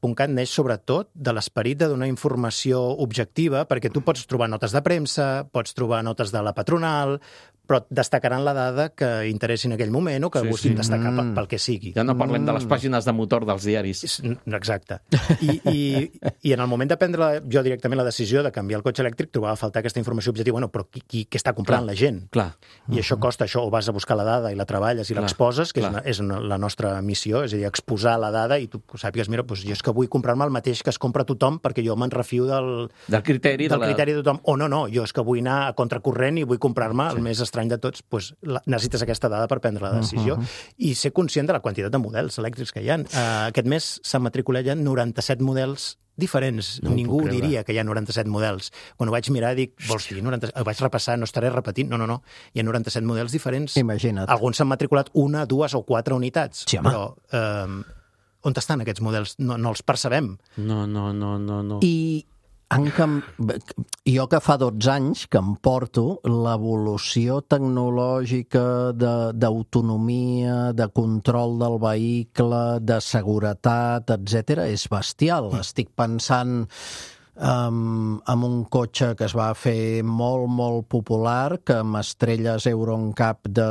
punt cat neix sobretot de l'esperit de donar informació objectiva, perquè tu pots trobar notes de premsa, pots trobar notes de la patronal, però destacaran la dada que interessi en aquell moment o que Sí, busquin sí. destacar Mm. pel, pel que sigui. Ja no parlem de les pàgines de motor dels diaris. És- Exacte. I, i, I en el moment de prendre la, jo directament la decisió de canviar el cotxe elèctric, trobava a faltar aquesta informació objectiva. Bueno, però qui, qui, què està comprant Clar. la gent? Clar. I això costa això, o vas a buscar la dada i la treballes i Clar, l'exposes, que és, clar. una, és una, la nostra missió, és a dir, exposar la dada i tu sàpigues, mira, doncs jo és que vull comprar-me el mateix que es compra tothom perquè jo me'n refio del, Del criteri. del de la... criteri de tothom. O no, no, jo és que vull anar a contracorrent i vull comprar-me el més estrany de tots. Doncs la, necessites aquesta dada per prendre la decisió i ser conscient de la quantitat de models elèctrics que hi ha. Uh, aquest mes s'han matriculat ja noranta-set models diferents. No ho Ningú puc creure. diria que hi ha noranta-set models. Quan ho vaig mirar, dic, vols dir noranta... Ho vaig repassar, no estaré repetint. No, no, no. Hi ha noranta-set models diferents. Imagina't. Alguns s'han matriculat una, dues o quatre unitats. Sí, home. però eh, on estan aquests models? No, no els percebem. No, no, no, no. no. I en cam... jo que fa dotze anys que em porto, l'evolució tecnològica de- d'autonomia, de, de control del vehicle, de seguretat, etcètera, és bestial. Mm. Estic pensant um, en un cotxe que es va fer molt, molt popular, que amb estrelles Euro N C A P de,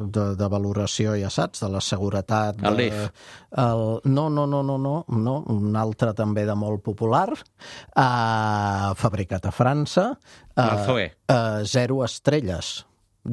de, de valoració, ja saps, de la seguretat... De, El Leaf. el, no, no, no, no, no, no, un altre també de molt popular, uh, fabricat a França, El Zoe. uh, zero estrelles.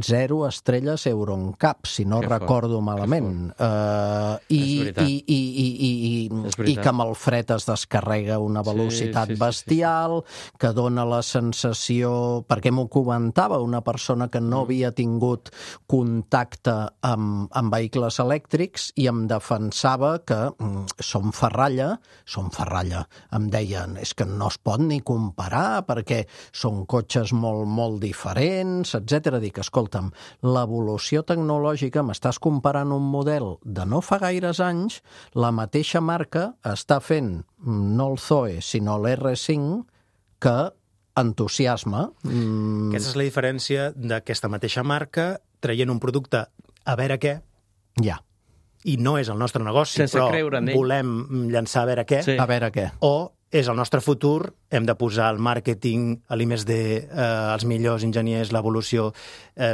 Zero estrelles Euro N C A P, si no Que fort, recordo malament. Uh, i, És veritat. i, i, i, i, i, És i veritat. que amb el fred es descarrega una velocitat sí, sí, sí, bestial, que dona la sensació... Perquè m'ho comentava una persona que no havia tingut contacte amb, amb vehicles elèctrics i em defensava que mm, som ferralla, som ferralla. Em deien, és que no es pot ni comparar perquè són cotxes molt, molt diferents, etcètera. Dic, escolta'm, l'evolució tecnològica, m'estàs comparant un model de no fa gaires anys, la mateixa marca està fent no el Zoe, sinó l'R cinc, que entusiasma. Mm, Aquesta és la diferència d'aquesta mateixa marca traient un producte a veure què, ja, i no és el nostre negoci, Sense però creure en ell. volem llançar a veure què, Sí. a veure què. o és el nostre futur, hem de posar el màrqueting, l'I més D, eh, els millors enginyers, l'evolució. Eh,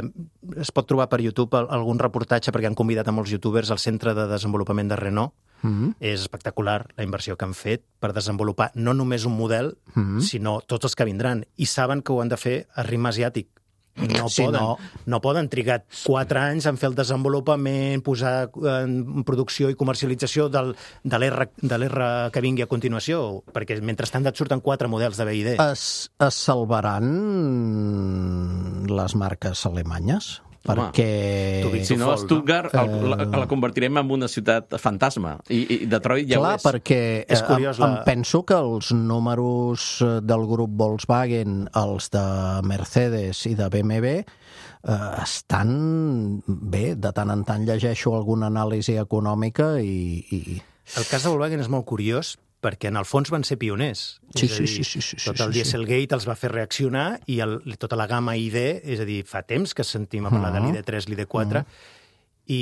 es pot trobar per YouTube al- algun reportatge, perquè han convidat a molts youtubers al centre de desenvolupament de Renault. Mm-hmm. És espectacular la inversió que han fet per desenvolupar no només un model, Mm-hmm. sinó tots els que vindran. I saben que ho han de fer a ritme asiàtic. No, Si poden, no- no... no poden trigar quatre anys en fer el desenvolupament, posar en producció i comercialització del, de l'R de l'R que vingui a continuació, perquè mentrestant et surten quatre models de B I D. Es, es salvaran les marques alemanyes? Home, Perquè... tu dius- Si no, Folk, no? Stuttgart el, la, Eh, la convertirem en una ciutat fantasma. I, i Detroit ja Clar, ho és. perquè És eh, curiós, em, la- em penso que els números eh, del grup Volkswagen, els de Mercedes i de B M W, eh, estan bé. De tant en tant llegeixo alguna anàlisi econòmica i... i... El cas de Volkswagen és molt curiós perquè en el fons van ser pioners. Sí, És a sí, dir, sí, sí, sí, tot sí, el sí. Dieselgate els va fer reaccionar i el, tota la gamma I D, és a dir, fa temps que sentim a parlar de l'I D tres, l'I D quatre, i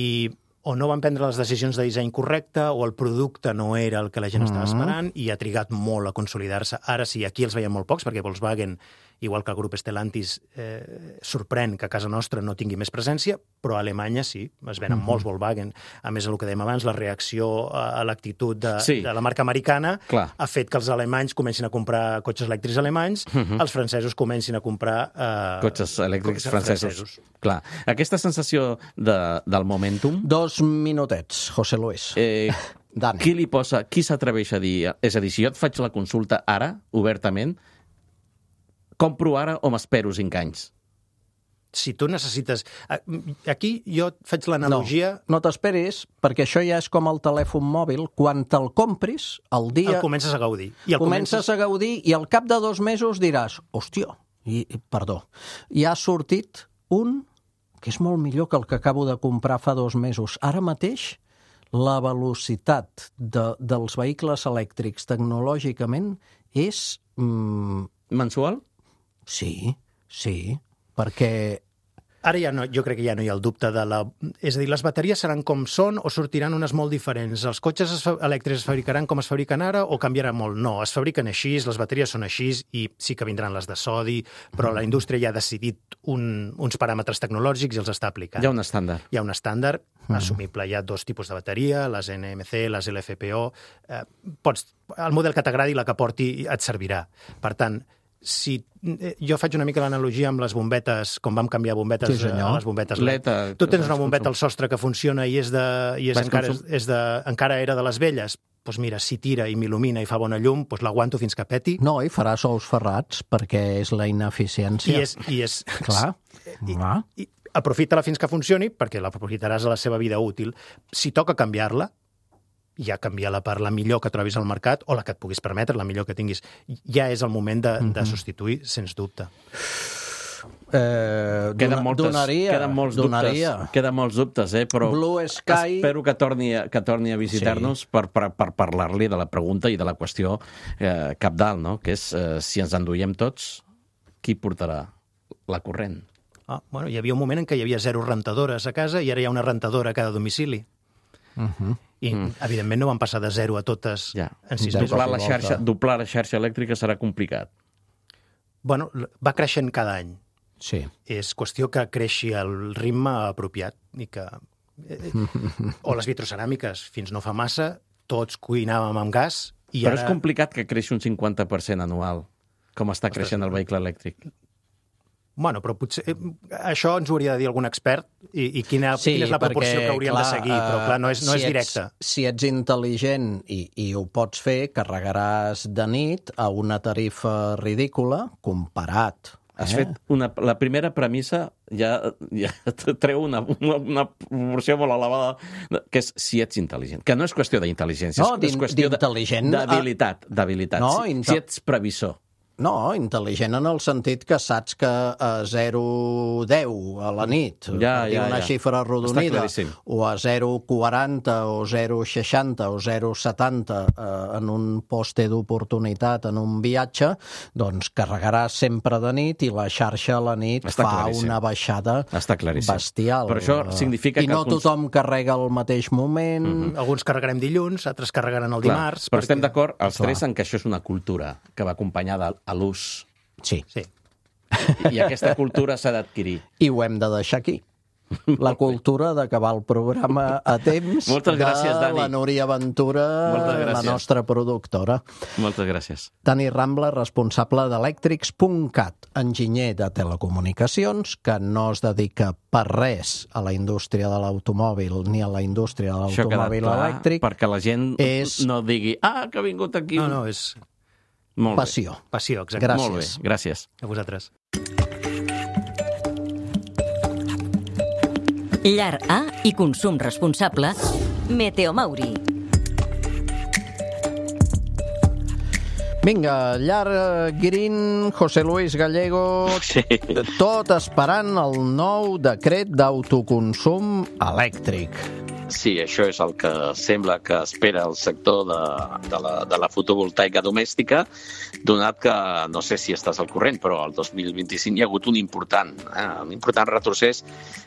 o no van prendre les decisions de disseny correcte o el producte no era el que la gent estava esperant i ha trigat molt a consolidar-se. Ara sí, aquí els veiem molt pocs perquè Volkswagen, igual que el grup Stellantis, eh, sorprèn que a casa nostra no tingui més presència, però a Alemanya sí, es venen uh -huh. molts Volkswagen. A més, el que dèiem abans, la reacció a, a l'actitud de, Sí. de la marca americana Clar. ha fet que els alemanys comencin a comprar cotxes elèctrics alemanys, uh -huh. els francesos comencin a comprar... Eh, Cotxes elèctrics cotxes francesos. Clar. Aquesta sensació de, del momentum, Dos minutets, José Luis. eh, Dani. qui li posa, qui s'atreveix a dir... És a dir, si jo et faig la consulta ara, obertament, compro ara o m'espero cinc anys? Si tu necessites... Aquí jo et faig l'analogia... No, no t'esperis, perquè això ja és com el telèfon mòbil. Quan te'l compris, el dia... El comences a gaudir. I el comences a gaudir i al cap de dos mesos diràs, hòstia, i, perdó, ja ha sortit un que és molt millor que el que acabo de comprar fa dos mesos. Ara mateix, la velocitat de, dels vehicles elèctrics tecnològicament és... Mm, Mensual? sí, sí, perquè Ara ja no, jo crec que ja no hi ha el dubte de la... És a dir, les bateries seran com són o sortiran unes molt diferents. Els cotxes es fa... elèctrics es fabricaran com es fabriquen ara o canviarà molt? No, es fabriquen així, les bateries són així i sí que vindran les de sodi, però la indústria ja ha decidit un, uns paràmetres tecnològics i els està aplicant. Hi ha un estàndard. Hi ha un estàndard assumible. Hi ha dos tipus de bateria, les N M C, les L F P O. Eh, pots... El model que t'agradi, la que porti, et servirà. Per tant, si jo faig una mica l'analogia amb les bombetes, com vam canviar bombetes sí, a les bombetes L E D. L E D, Tu tens una bombeta al sostre que funciona i és de, i és encara, és de, encara era de les velles, doncs mira, si tira i m'il·lumina i fa bona llum, doncs l'aguanto fins que peti. No, i faràs ous ferrats, perquè és la ineficiència. I és... I és Clar. I, i, aprofita-la fins que funcioni, perquè l'aprofitaràs a la seva vida útil. Si toca canviar-la, ja canvia-la per la millor que trobis al mercat o la que et puguis permetre, la millor que tinguis. Ja és el moment de, mm-hmm. de substituir, sens dubte. Eh, queden, moltes, donaria, queden molts donaria. dubtes, queden molts dubtes, eh? Però Blue Sky... espero que torni a, que torni a visitar-nos sí. per, per, per parlar-li de la pregunta i de la qüestió eh, cabdal, no? Que és, eh, si ens enduiem tots, qui portarà la corrent? Ah, bueno, hi havia un moment en què hi havia zero rentadores a casa i ara hi ha una rentadora a cada domicili. Uh-huh. I, mm. evidentment, no van passar de zero a totes ja. en sis mesos. Doblar la, xarxa, doblar la xarxa elèctrica serà complicat. Bueno, va creixent cada any. Sí. És qüestió que creixi el ritme apropiat i que... o les vitroceràmiques, fins no fa massa, tots cuinàvem amb gas i Però ara... és complicat que creixi un cinquanta per cent anual, com està Ostres, creixent el vehicle elèctric. Bueno, però potser eh, això ens ho hauria de dir algun expert i, i quina, sí, quina és la proporció perquè, que hauríem clar, de seguir, però clar, no és, no si és directe. Ets, si ets intel·ligent i, i ho pots fer, carregaràs de nit a una tarifa ridícula comparat. Has eh? fet una, la primera premissa ja, ja treu una, una, una proporció molt elevada, que és si ets intel·ligent. Que no és qüestió d'intel·ligència, no, és qüestió d'habilitat. d'habilitat. No, si, si ets previsor. No, intel·ligent en el sentit que saps que a zero deu a la nit, ja, ja, una ja. xifra arrodonida, o a zero quaranta o zero seixanta o zero setanta eh, en un poste d'oportunitat, en un viatge, doncs carregaràs sempre de nit i la xarxa a la nit Està fa claríssim. una baixada bestial. Però això significa I no que... tothom carrega al mateix moment. Mm-hmm. Alguns carregarem dilluns, altres carregaran el Clar, dimarts. Però perquè... estem d'acord, els Clar. tres, en que això és una cultura que va acompanyada a l'ús. Sí. sí. I aquesta cultura s'ha d'adquirir. I ho hem de deixar aquí. La cultura d'acabar el programa a temps Moltes gràcies, de Dani. la Núria Ventura, la nostra productora. Moltes gràcies. Dani Rambla, responsable d'Electrics punt cat, enginyer de telecomunicacions, que no es dedica per res a la indústria de l'automòbil ni a la indústria de l'automòbil elèctric. Perquè la gent és... no digui, ah, que ha vingut aquí... No, no, és... Molt Passió. Bé. Passió, exacte. Gràcies. Molt bé, gràcies. A vosaltres. Llar A i consum responsable. Meteomauri. Vinga, llar Green, José Luis Gallego, sí. tot esperant el nou decret d'autoconsum elèctric. Sí, això és el que sembla que espera el sector de, de, la, de la fotovoltaica domèstica, donat que, no sé si estàs al corrent, però el dos mil vint-i-cinc hi ha hagut un important, eh, un important retrocés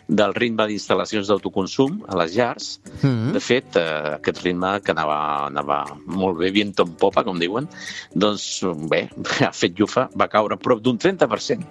del ritme d'instal·lacions d'autoconsum a les llars. Mm-hmm. De fet, eh, aquest ritme que anava, anava molt bé, viento en popa, com diuen, doncs bé, ha fet llufa, va caure prop d'un trenta per cent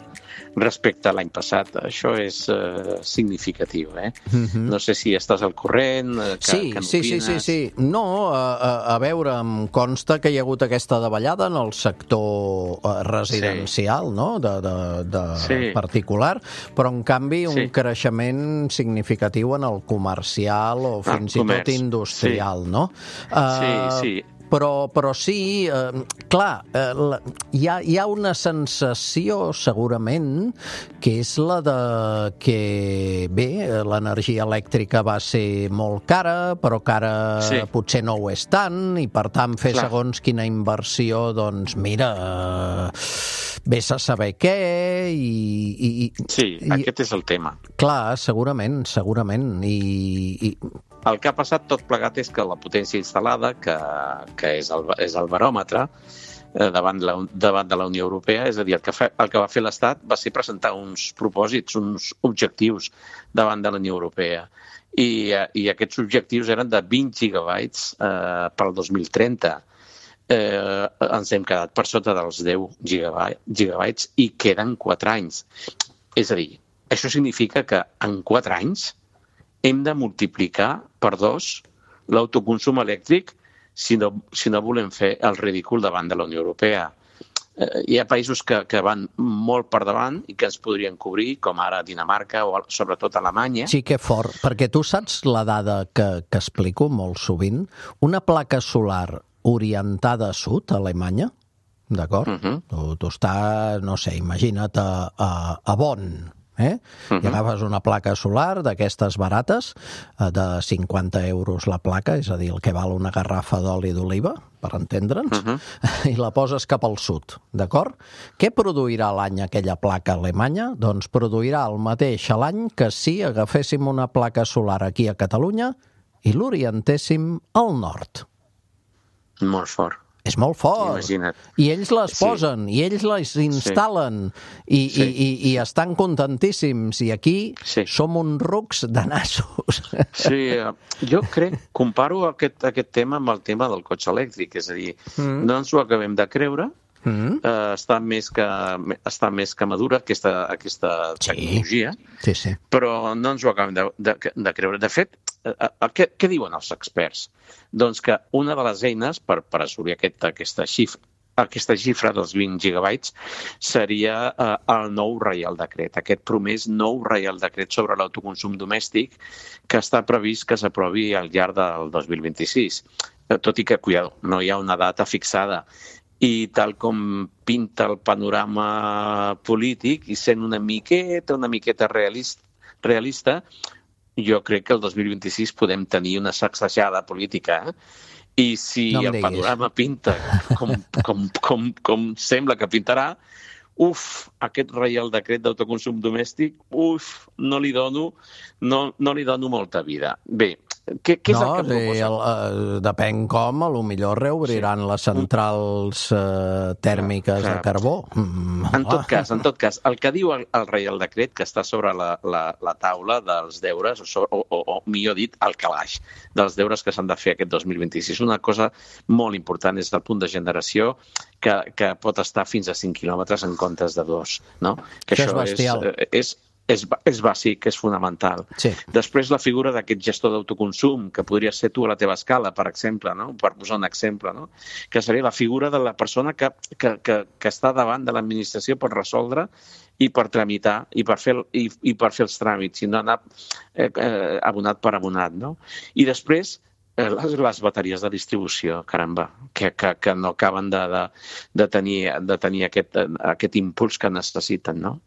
respecte a l'any passat. Això és eh, significatiu, eh? Mm-hmm. No sé si estàs al corrent, eh, que, sí, que sí, sí, sí, sí. No, a, a, a veure, em consta que hi ha hagut aquesta davallada en el sector eh, residencial, sí. no?, de, de, de sí. particular, però en canvi un sí. creixement significatiu en el comercial o fins ah, i tot industrial, sí. no? Uh, sí, sí. Però, però sí, eh, clar, eh, la, hi, ha, hi ha una sensació, segurament, que és la de que, bé, l'energia elèctrica va ser molt cara, però que ara sí. potser no ho és tant, i per tant fer clar. segons quina inversió, doncs mira, eh, vés a saber què, i... i sí, i, aquest és el tema. Clar, segurament, segurament, i... i el que ha passat tot plegat és que la potència instal·lada, que, que és, el, és el baròmetre, davant de, la, davant de la Unió Europea, és a dir, el que, fa, el que va fer l'Estat va ser presentar uns propòsits, uns objectius davant de la Unió Europea. I, i aquests objectius eren de vint gigabytes eh, pel dos mil trenta. Eh, ens hem quedat per sota dels deu gigabytes i queden quatre anys. És a dir, això significa que en quatre anys hem de multiplicar per dos l'autoconsum elèctric si no, si no volem fer el ridícul davant de la Unió Europea. Eh, hi ha països que, que van molt per davant i que ens podrien cobrir, com ara Dinamarca o sobretot Alemanya. Sí, que fort, perquè tu saps la dada que, que explico molt sovint? Una placa solar orientada a sud, a Alemanya, d'acord? Uh-huh. Tu, tu estàs, no sé, imagina't a, a, a Bonn, eh? Uh-huh. I agafes una placa solar d'aquestes barates, de cinquanta euros la placa, és a dir, el que val una garrafa d'oli d'oliva, per entendre'ns, uh-huh. i la poses cap al sud, d'acord? Què produirà a l'any aquella placa alemanya? Doncs produirà el mateix a l'any que si agaféssim una placa solar aquí a Catalunya i l'orientéssim al nord. Molt fort. És molt fort. Imagina't. I ells les Sí. posen, i ells les instal·len, i, Sí. i, i, i estan contentíssims. I aquí Sí. som uns rucs de nassos. Sí, jo crec, comparo aquest, aquest tema amb el tema del cotxe elèctric, és a dir, mm. no ens ho acabem de creure, mm. eh, està, més que, està més que madura aquesta, aquesta Sí. tecnologia, Sí, sí. però no ens ho acabem de, de, de creure. De fet, eh, què, què diuen els experts? Doncs que una de les eines per, per assolir aquest, aquesta xifra aquesta xifra dels vint gigabytes seria eh, el nou Reial Decret, aquest promès nou Reial Decret sobre l'autoconsum domèstic que està previst que s'aprovi al llarg del dos mil vint-i-sis. Eh, tot i que, cuidado, no hi ha una data fixada. I tal com pinta el panorama polític i sent una miqueta, una miqueta realista, realista jo crec que el dos mil vint-i-sis podem tenir una sacsejada política, eh? I si No em el diguis. panorama pinta com, com, com, com sembla que pintarà, uf, aquest Reial Decret d'autoconsum domèstic, uf, no li dono, no, no li dono molta vida. Bé, què, què és no, el que sí, proposa? el, uh, depèn com, a lo millor reobriran sí. les centrals uh, tèrmiques Clar, clar. de carbó. Mm, En tot cas, en tot cas, el que diu el, el Reial Decret, que està sobre la, la, la taula dels deures, o, sobre, o, o, o millor dit, el calaix dels deures que s'han de fer aquest dos mil vint-i-sis. Una cosa molt important és el punt de generació que, que pot estar fins a cinc quilòmetres en comptes de dos. No? Que això, això és bestial. És, és, és, és bàsic, és fonamental. Sí. Després la figura d'aquest gestor d'autoconsum, que podria ser tu a la teva escala, per exemple, no? Per posar un exemple, no? Que seria la figura de la persona que, que, que, que està davant de l'administració per resoldre i per tramitar i per fer, i, i per fer els tràmits, i no anar eh, eh, abonat per abonat. No? I després les, les bateries de distribució, caramba, que, que, que no acaben de, de, de tenir, de tenir aquest, aquest impuls que necessiten. No?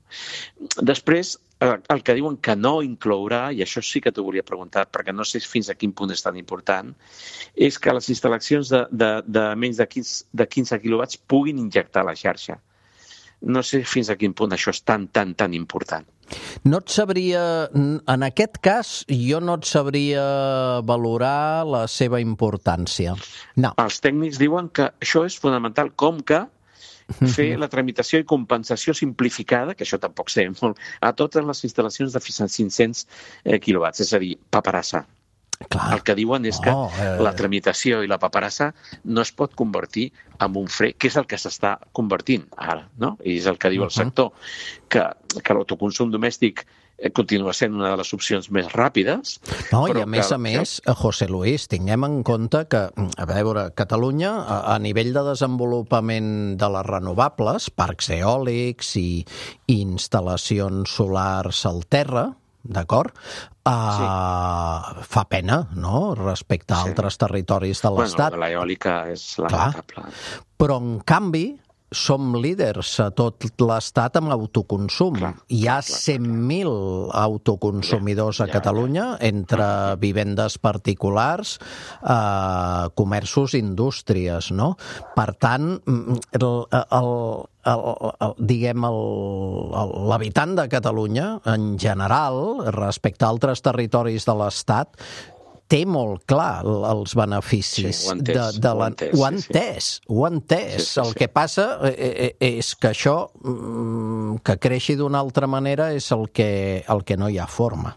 Després, el que diuen que no inclourà, i això sí que t'ho volia preguntar, perquè no sé fins a quin punt és tan important, és que les instal·lacions de, de, de menys de quinze, de quinze quilowatts puguin injectar la xarxa. No sé fins a quin punt això és tan, tan, tan important. No et sabria, en aquest cas, jo no et sabria valorar la seva importància. No. Els tècnics diuen que això és fonamental, com que fer la tramitació i compensació simplificada, que això tampoc sé molt, a totes les instal·lacions de fins a cinc-cents quilowatts, és a dir, paperassa. Clar. El que diuen és que oh, eh... la tramitació i la paperassa no es pot convertir en un fre, que és el que s'està convertint ara, no? I és el que diu el sector, que, que l'autoconsum domèstic continua sent una de les opcions més ràpides. No, i a que, més a més, José Luis, tinguem en compte que, a veure, Catalunya, a, a nivell de desenvolupament de les renovables, parcs eòlics i, i instal·lacions solars al terra, d'acord? Uh, sí. Fa pena, no?, respecte a sí. altres territoris de l'Estat. Bueno, l'eòlica és lamentable. Però, en canvi, som líders a tot l'Estat amb autoconsum. Clar, Hi ha clar, clar, cent mil autoconsumidors ja, a Catalunya, ja, ja. entre vivendes particulars, eh, comerços i indústries, no? Per tant, el, el, el, el, diguem, l'habitant de Catalunya, en general, respecte a altres territoris de l'Estat, té molt clar els beneficis. Sí, ho ha entès, de, de la... ho ha entès, Ho ha sí, sí. entès, ho ha entès. Sí, sí, el sí. que passa és que això, que creixi d'una altra manera, és el que, el que no hi ha forma.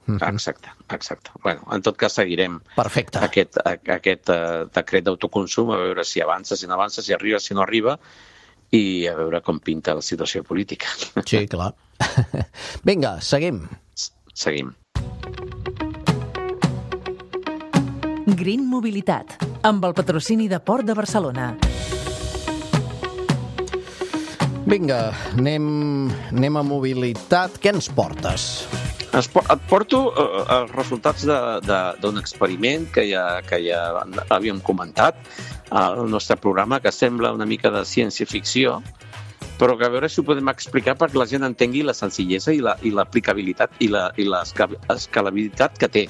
Exacte, exacte. Bueno, en tot cas seguirem Perfecte. aquest, aquest uh, decret d'autoconsum, a veure si avança, si no avança, si arriba, si no arriba, i a veure com pinta la situació política. Sí, clar. Vinga, seguim. Seguim. Green Mobilitat, amb el patrocini de Port de Barcelona. Vinga, anem, anem a mobilitat. Què ens portes? Et porto uh, els resultats d'un experiment que ja, que ja havíem comentat al nostre programa, que sembla una mica de ciència-ficció, però que a veure si ho podem explicar perquè la gent entengui la senzillesa i l'aplicabilitat la, i la, i l'escalabilitat que té.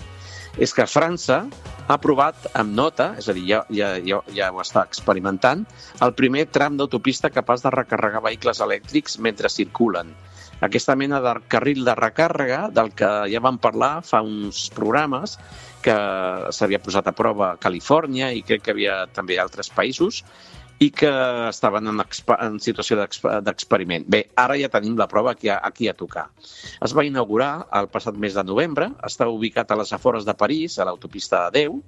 És que França ha aprovat amb nota, és a dir, ja, ja, ja, ja ho està experimentant, el primer tram d'autopista capaç de recarregar vehicles elèctrics mentre circulen. Aquesta mena de carril de recàrrega del que ja vam parlar fa uns programes, que s'havia posat a prova a Califòrnia i crec que havia també altres països, i que estaven en, en situació d'experiment. Bé, ara ja tenim la prova aquí a, aquí a tocar. Es va inaugurar el passat mes de novembre, està ubicat a les afores de París, a l'autopista A deu,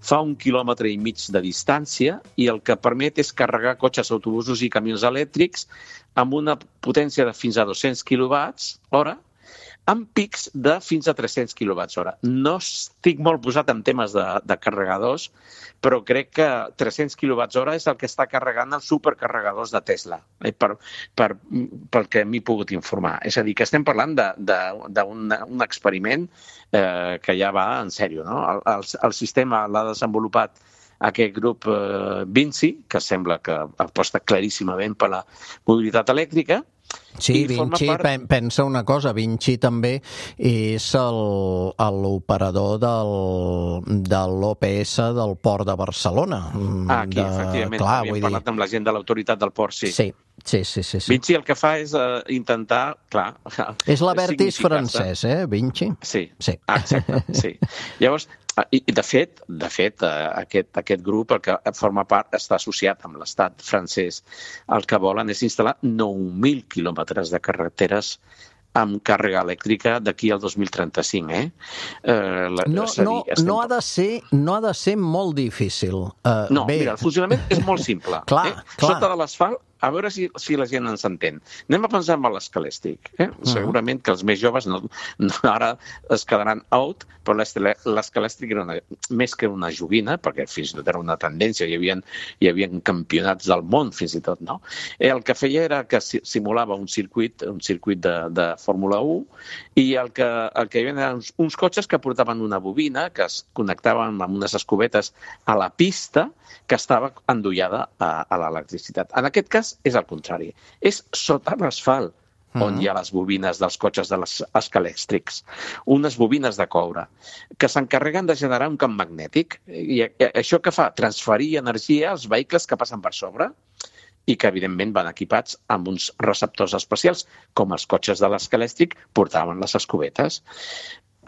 fa un quilòmetre i mig de distància i el que permet és carregar cotxes, autobusos i camions elèctrics amb una potència de fins a dos-cents quilowatts hora, amb pics de fins a tres-cents quilowatts hora. No estic molt posat en temes de, de carregadors, però crec que tres-cents quilowatts hora és el que està carregant els supercarregadors de Tesla, eh, per, per, pel que m'he pogut informar. És a dir, que estem parlant d'un experiment eh, que ja va en sèrio, no? El, el, el sistema l'ha desenvolupat aquest grup eh, Vinci, que sembla que aposta claríssimament per la mobilitat elèctrica. Sí, Vinci, part... pensa una cosa, Vinci també és l'operador del, de l'O P S del Port de Barcelona. Ah, aquí, de... efectivament, clar, havíem parlat dir... amb la gent de l'autoritat del port, sí. Sí. Sí, sí, sí, sí. Vinci el que fa és uh, intentar, clar... És l'Avertis francès, eh, Vinci? Sí, sí. Exacte, sí. Llavors, i de fet, de fet aquest, aquest grup, el que forma part, està associat amb l'estat francès. El que volen és instal·lar nou mil quilòmetres de carreteres amb càrrega elèctrica d'aquí al dos mil trenta-cinc, eh? eh la, no, dir, no, estem... no, ha de ser, no ha de ser molt difícil. Uh, no, bé. Mira, el funcionament és molt simple. clar, eh? clar. Sota de l'asfalt, a veure si, si la gent ens entén. Anem a pensar en l'escalèstic. Eh? Uh-huh. Segurament que els més joves no, no, ara es quedaran out, però l'escalèstic era una, més que una joguina, perquè fins i tot era una tendència, hi havia, hi havia campionats del món fins i tot, no? Eh, el que feia era que simulava un circuit, un circuit de, de Fórmula u, i el que, el que hi havia eren uns, uns cotxes que portaven una bobina, que es connectaven amb unes escobetes a la pista, que estava endollada a, a l'electricitat. En aquest cas és el contrari. És sota l'asfalt on hi ha les bobines dels cotxes de les escalèctrics. Unes bobines de coure que s'encarreguen de generar un camp magnètic. I això que fa? Transferir energia als vehicles que passen per sobre i que, evidentment, van equipats amb uns receptors especials, com els cotxes de l'escalèctric portaven les escobetes.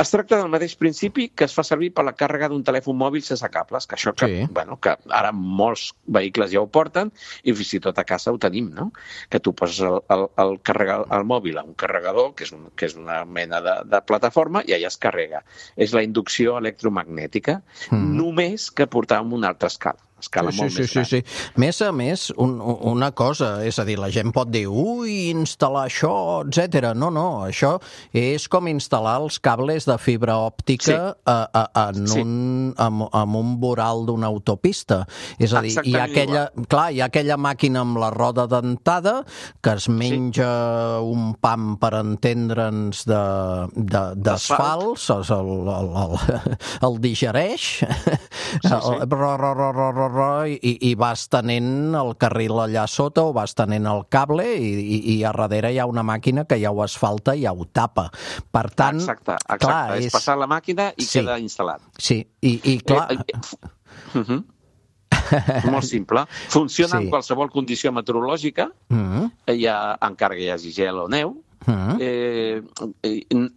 Es tracta del mateix principi que es fa servir per la càrrega d'un telèfon mòbil sense cables, que això que, sí. bueno, que ara molts vehicles ja ho porten i fins i tot a casa ho tenim, no? Que tu poses el, el, el, carregar, el mòbil a un carregador, que és, un, que és una mena de, de plataforma, i allà es carrega. És la inducció electromagnètica, mm. només que portar amb una altra escala. Escala sí, molt sí, més sí, gran. sí. Més a més, un, una cosa, és a dir, la gent pot dir, ui, instal·lar això, etcètera. No, no, això és com instal·lar els cables de fibra òptica sí. a, a, en, sí. un, en, en un voral d'una autopista. És a dir, hi ha aquella, clar, hi ha aquella màquina amb la roda dentada que es menja sí. un pam, per entendre'ns, d'asfalt, el, el, el, el digereix, sí, sí. el, ro, ro, ro, ro, ro, I, i vas tenint el carril allà sota o vas tenint el cable i, i, i a darrere hi ha una màquina que ja ho asfalta i ja ho tapa. Per tant, exacte, exacte. Clar, és, és passar la màquina i sí. queda instal·lat. Sí, i, i clar... Eh, eh, uh -huh. Molt simple. Funciona sí. en qualsevol condició meteorològica, uh -huh. ja, encara que hi hagi gel o neu, Mm. Eh,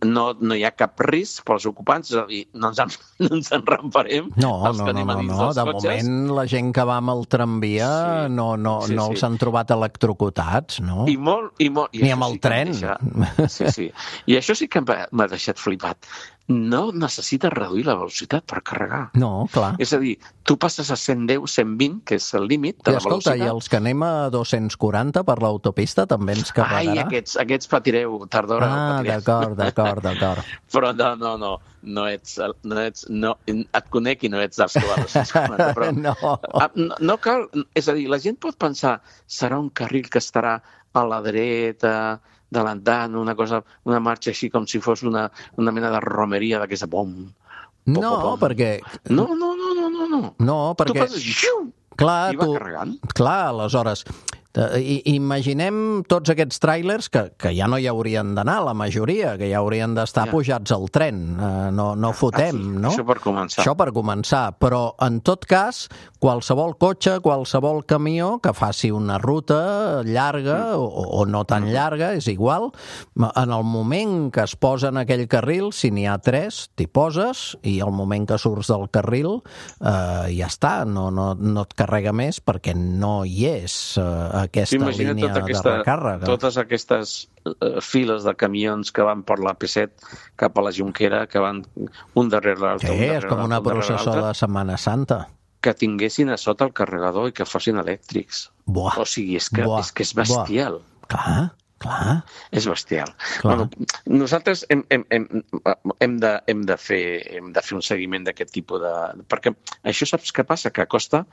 no, no hi ha cap risc pels ocupants, és a dir, no ens, en, no ens enramparem. No, no, no, no, no. de cotxes. Moment la gent que va amb el tramvia sí, no, no, sí, no sí. els han trobat electrocutats, no? I molt, i molt, i Ni amb el sí tren. Deixa... Sí, sí. I això sí que m'ha deixat flipat. No necessites reduir la velocitat per carregar. No, clar. És a dir, tu passes a cent deu, cent vint, que és el límit de I la escolta, velocitat. I els que anem a dos-cents quaranta per l'autopista també ens carregarà? Ai, aquests, aquests patireu, tard d'hora. Ah, d'acord, d'acord, d'acord. Però no, no, no, no ets, no ets, no, et conec i no ets dels que va a dos-cents quaranta, però no. no, no cal, és a dir, la gent pot pensar, serà un carril que estarà a la dreta, delantant, una cosa, una marxa així com si fos una, una mena de romeria d'aquesta bom. No, pom, pom. perquè... No, no, no, no, no, no. No, perquè... Tu passes, xiu, clar, i va tu... carregant. Clar, aleshores... I, imaginem tots aquests tràilers que, que ja no hi haurien d'anar, la majoria, que ja haurien d'estar ja. pujats al tren. Uh, no, no fotem, ah, sí. no? Això per començar. Això per començar. Però, en tot cas, qualsevol cotxe, qualsevol camió que faci una ruta llarga mm. o, o no tan mm. llarga, és igual, en el moment que es posa en aquell carril, si n'hi ha tres, t'hi poses, i al moment que surts del carril uh, ja està, no, no, no et carrega més perquè no hi és uh, aquesta Imagina línia tota aquesta, de recàrrega. Totes aquestes uh, files de camions que van per la P set cap a la Jonquera, que van un darrere l'altre. Sí, és com una processó de Setmana Santa. Que tinguessin a sota el carregador i que fossin elèctrics. Buah. O sigui, és que, Buah. és, que és bestial. Buah. Clar, clar. És bestial. Clar. Bueno, nosaltres hem, hem, hem, hem, de, hem, de fer, hem de fer un seguiment d'aquest tipus de... Perquè això saps què passa? Que acosta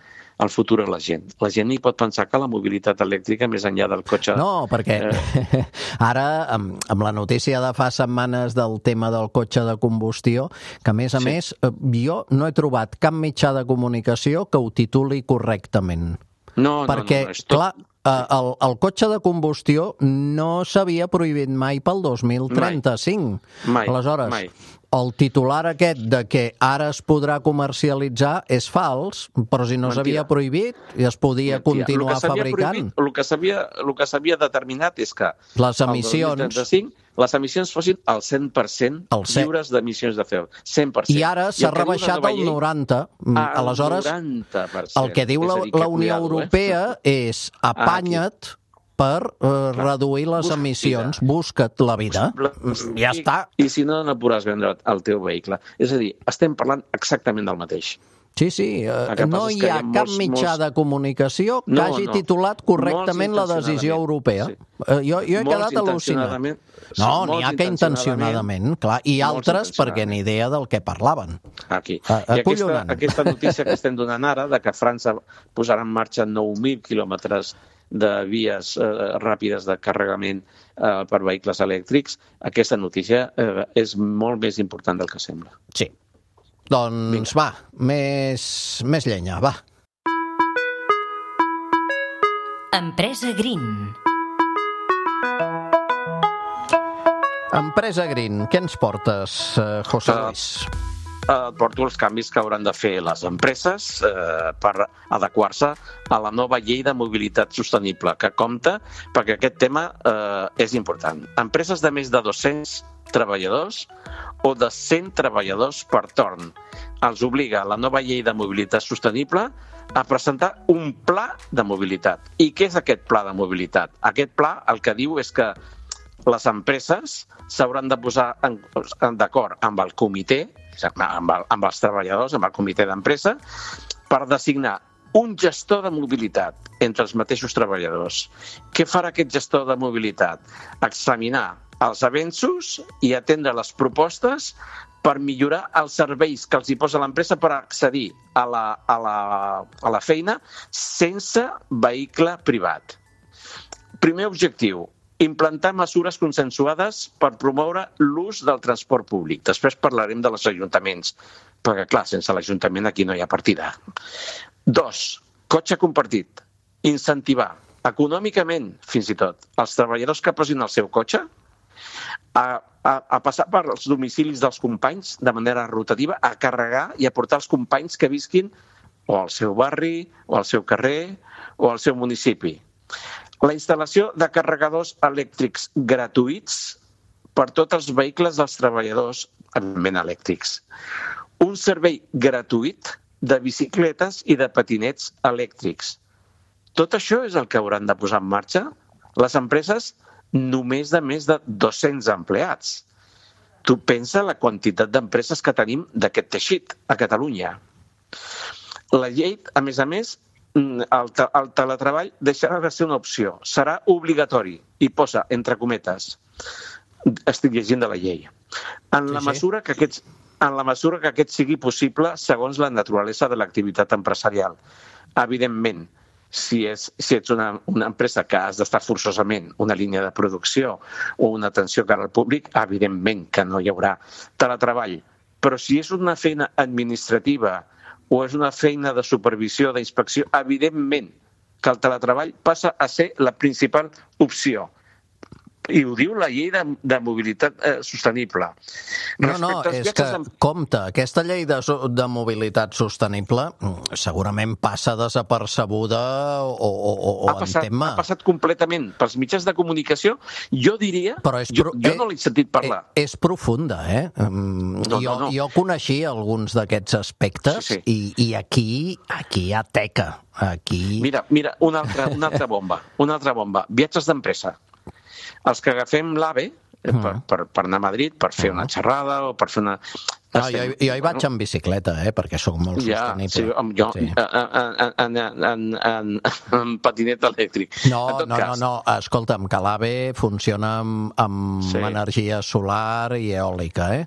el futur a la gent. La gent hi pot pensar que la mobilitat elèctrica, més enllà del cotxe... No, perquè eh... ara, amb, amb la notícia de fa setmanes del tema del cotxe de combustió, que a més a sí. més, jo no he trobat cap mitjà de comunicació que ho tituli correctament. No, perquè, no, no, és tot... clar, el, el cotxe de combustió no s'havia prohibit mai pel dos mil trenta-cinc. Mai, Aleshores, mai. el titular aquest de que ara es podrà comercialitzar és fals, però si no s'havia prohibit i es podia Mentira. continuar el fabricant. Prohibit, el que s'havia el que s'havia determinat és que les emissions, el dos mil trenta-cinc les emissions fossin al cent per cent lliures d'emissions de C O dos. cent per cent. I ara s'ha rebaixat al noranta per cent. Al Aleshores, noranta per cent. el que diu la, dir, que la Unió cuidado, Europea eh? és apanya't per uh, reduir les Busca emissions, vida. busca't la vida. Ja I, està. I si no, no podràs vendre el teu vehicle. És a dir, estem parlant exactament del mateix. Sí, sí, uh, no hi ha, hi ha cap molts, mitjà molts... de comunicació que no, hagi no. titulat correctament la decisió europea. Sí. Uh, jo, jo he molts quedat al·lucinat. No, n'hi ha que intencionadament, clar, i altres perquè ni idea del que parlaven. Aquí. Uh, I aquesta, aquesta notícia que estem donant ara, de que França posarà en marxa nou mil quilòmetres de vies eh, ràpides de carregament eh, per vehicles elèctrics, aquesta notícia eh, és molt més important del que sembla. Sí. Doncs Vinga. va, més, més llenya, va. Empresa Green. Empresa Green, què ens portes, eh, José Luis? Uh, porto els canvis que hauran de fer les empreses eh, per adequar-se a la nova llei de mobilitat sostenible, que compta, perquè aquest tema eh, és important. Empreses de més de dos-cents treballadors o de cent treballadors per torn. Els obliga la nova llei de mobilitat sostenible a presentar un pla de mobilitat. I què és aquest pla de mobilitat? Aquest pla el que diu és que les empreses s'hauran de posar en, en d'acord amb el comitè, amb, el, amb els treballadors, amb el comitè d'empresa, per designar un gestor de mobilitat entre els mateixos treballadors. Què farà aquest gestor de mobilitat? Examinar els avenços i atendre les propostes per millorar els serveis que els hi posa l'empresa per accedir a la, a la, a la feina sense vehicle privat. Primer objectiu, implantar mesures consensuades per promoure l'ús del transport públic. Després parlarem dels ajuntaments, perquè, clar, sense l'Ajuntament aquí no hi ha partida. Dos, cotxe compartit. Incentivar econòmicament, fins i tot, els treballadors que posin el seu cotxe a, a, a passar per els domicilis dels companys de manera rotativa, a carregar i a portar els companys que visquin o al seu barri, o al seu carrer, o al seu municipi. La instal·lació de carregadors elèctrics gratuïts per tots els vehicles dels treballadors, evidentment elèctrics. Un servei gratuït de bicicletes i de patinets elèctrics. Tot això és el que hauran de posar en marxa les empreses només de més de dos-cents empleats. Tu pensa la quantitat d'empreses que tenim d'aquest teixit a Catalunya. La llei, a més a més, el, te- el teletreball deixarà de ser una opció. Serà obligatori, i posa entre cometes. Estic llegint de la llei. En la Sí, sí. mesura que aquests, en la mesura que aquest sigui possible segons la naturalesa de l'activitat empresarial. Evidentment, si, és, si ets una, una empresa que has d'estar forçosament una línia de producció o una atenció cara al públic, evidentment que no hi haurà teletreball. Però si és una feina administrativa o és una feina de supervisió, d'inspecció, evidentment que el teletreball passa a ser la principal opció. I ho diu la llei de, de mobilitat eh, sostenible. No, no, Respecte als és que, viatges en- compte, aquesta llei de, so- de mobilitat sostenible mm, segurament passa desapercebuda o, o, o, o ha passat, entén-me. ha passat completament pels mitjans de comunicació. Jo diria... Però és jo, pro- jo eh, no l'he sentit parlar. Eh, És profunda, eh? Mm, No, jo, no, no. jo coneixia alguns d'aquests aspectes Sí, sí. I, i aquí, aquí hi ha teca. Aquí... Mira, mira una, altra, una altra bomba. Una altra bomba. Viatges d'empresa. Els que agafem l'AVE eh, per, per, per anar a Madrid, per fer una xerrada o per fer una... No, jo, jo hi vaig en bicicleta, eh? Perquè sóc molt Ja, sostenible. sí, amb- jo Sí. en, en, en, en, en, en patinet elèctric. No, En tot no, no, cas, no, escolta'm, que l'AVE funciona amb, amb Sí. energia solar i eòlica, eh?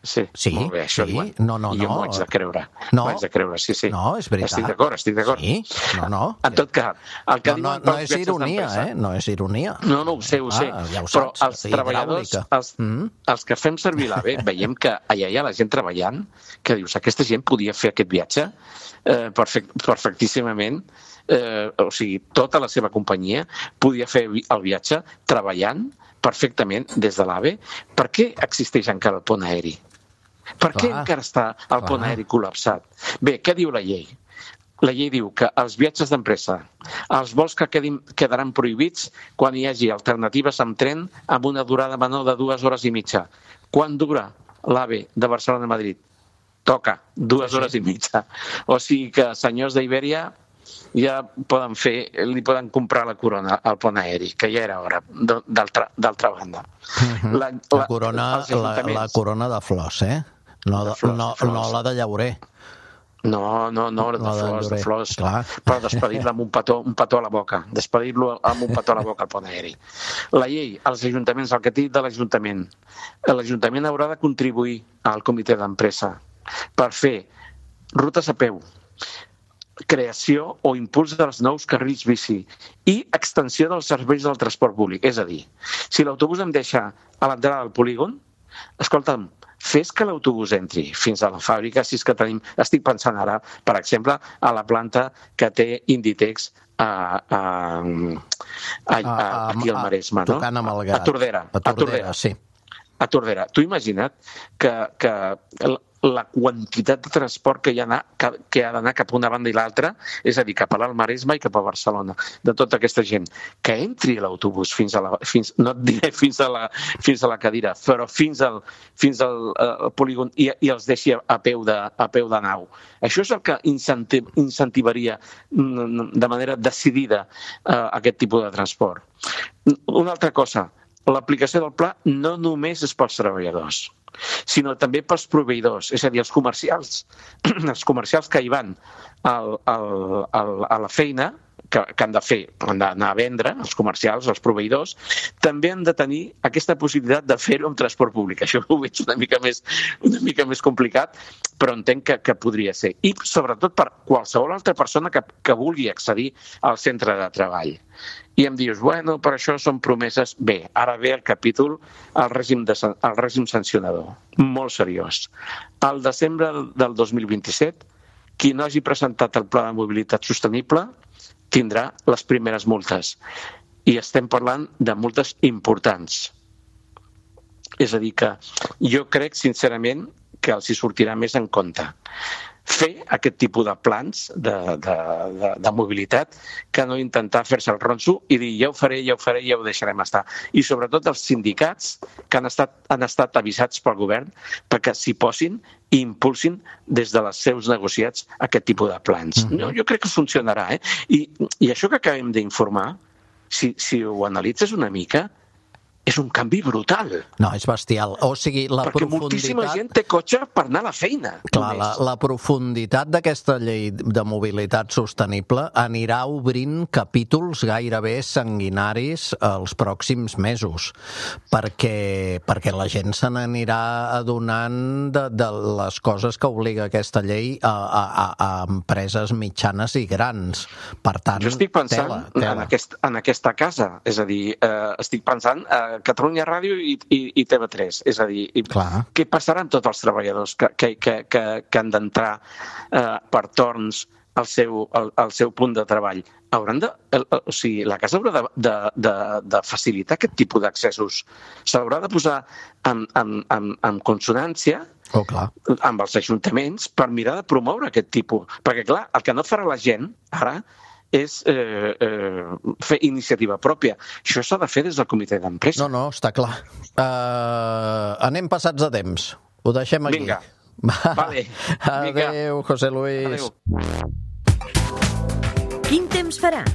Sí, Sí, molt bé, això sí. diuen. No, no, I jo no. m'ho haig de creure. No. M'ho haig de creure, sí, sí. No, és veritat. Estic d'acord, estic d'acord. Sí, no, no. En tot cas, el que No, no, diuen no pels és viatges ironia, d'empresa- eh? No és ironia. No, no, ho sé, ho sé. Ah, ja ho Però saps, els sí, treballadors, hidràulica. els, Mm. els que fem servir l'AVE, veiem que allà hi ha la gent treballant, que dius, aquesta gent podia fer aquest viatge eh, perfect, perfectíssimament, eh, o sigui, tota la seva companyia podia fer vi- el viatge treballant perfectament des de l'AVE. Per què existeix encara el pont aeri? Per què Clar, encara està el pont clar. aeri col·lapsat? Bé, què diu la llei? La llei diu que els viatges d'empresa, els vols que quedin, quedaran prohibits quan hi hagi alternatives amb tren amb una durada menor de dues hores i mitja. Quan dura l'AVE de Barcelona a Madrid? Toca, dues Sí, sí. hores i mitja. O sigui que senyors d'Ibèria ja poden fer, li poden comprar la corona al pont aeri, que ja era hora, d- d'altra d'altra banda. La, la, corona, els la, la ajuntaments- corona de flors, eh? No, De de, flors, no, de flors. no la de llaurer. No, no, no, de La de flors, de Llorer, flors. clar. Però despedir-la amb un petó, un petó a la boca. Despedir-lo amb un petó a la boca al pont aeri. La llei, els ajuntaments, el que té dit de l'Ajuntament. L'Ajuntament haurà de contribuir al comitè d'empresa per fer rutes a peu, creació o impuls dels nous carrils bici i extensió dels serveis del transport públic. És a dir, si l'autobús em deixa a l'entrada del polígon, escolta'm, fes que l'autobús entri fins a la fàbrica, si és que tenim... Estic pensant ara, per exemple, a la planta que té Inditex a, a, a, a, aquí al Maresme, no? Tocant amb el A Gat. Tordera. A Tordera, sí. A Tordera. Tu imagina't que, que la quantitat de transport que hi ha, anar, que, que ha d'anar cap a una banda i l'altra, és a dir, cap a l'Alt Maresme i cap a Barcelona, de tota aquesta gent, que entri l'autobús fins a la... Fins, no et diré fins a la, fins a la cadira, però fins al, fins al uh, polígon i, i els deixi a peu, de, a peu de nau. Això és el que incentiv, incentivaria de manera decidida uh, aquest tipus de transport. Una altra cosa, l'aplicació del pla no només és pels treballadors, sinó també pels proveïdors, és a dir, els comercials. Els comercials que hi van al, al, al, a la feina, que, que han de fer, han d'anar a vendre, els comercials, els proveïdors, també han de tenir aquesta possibilitat de fer-ho amb transport públic. Això ho veig una mica més, una mica més complicat, però entenc que, que podria ser. I sobretot per qualsevol altra persona que, que vulgui accedir al centre de treball. I em dius, bueno, per això són promeses. Bé, ara ve el capítol, el règim, de, el règim sancionador, molt seriós. Al desembre del dos mil vint-i-set, qui no hagi presentat el pla de mobilitat sostenible tindrà les primeres multes. I estem parlant de multes importants. És a dir que jo crec, sincerament, que els hi sortirà més en compte. fer aquest tipus de plans de, de, de, de mobilitat que no intentar fer-se el ronso i dir ja ho faré, ja ho faré, ja ho deixarem estar. I sobretot els sindicats que han estat, han estat avisats pel govern perquè s'hi posin i impulsin des de les seus negociats aquest tipus de plans. Mm-hmm. No, jo crec que funcionarà. Eh? I, I això que acabem d'informar, si, si ho analitzes una mica, és un canvi brutal. No, és bestial. O sigui, la Perquè profunditat... moltíssima gent té cotxe per anar a la feina. Clar, la, la profunditat d'aquesta llei de mobilitat sostenible anirà obrint capítols gairebé sanguinaris els pròxims mesos, perquè, perquè la gent se n'anirà adonant de, de les coses que obliga aquesta llei a, a, a empreses mitjanes i grans. Per tant, jo estic pensant tela, tela. En, aquest, en aquesta casa, és a dir, eh, estic pensant eh, Catalunya Ràdio i, i, i T V tres. És a dir, Clar. Què passarà amb tots els treballadors que, que, que, que, que han d'entrar eh, per torns al seu, al, al seu punt de treball? Hauran de, el, o sigui, la casa haurà de, de, de, de facilitar aquest tipus d'accessos. S'haurà de posar en, en, en, en consonància oh, clar. amb els ajuntaments per mirar de promoure aquest tipus. Perquè, clar, el que no farà la gent ara és eh, eh, fer iniciativa pròpia. Això s'ha de fer des del comitè d'empresa. No, no, està clar. Uh, anem passats de temps. Ho deixem aquí. Vinga. Vale. Adéu, José Luis. Adéu. Quin temps farà?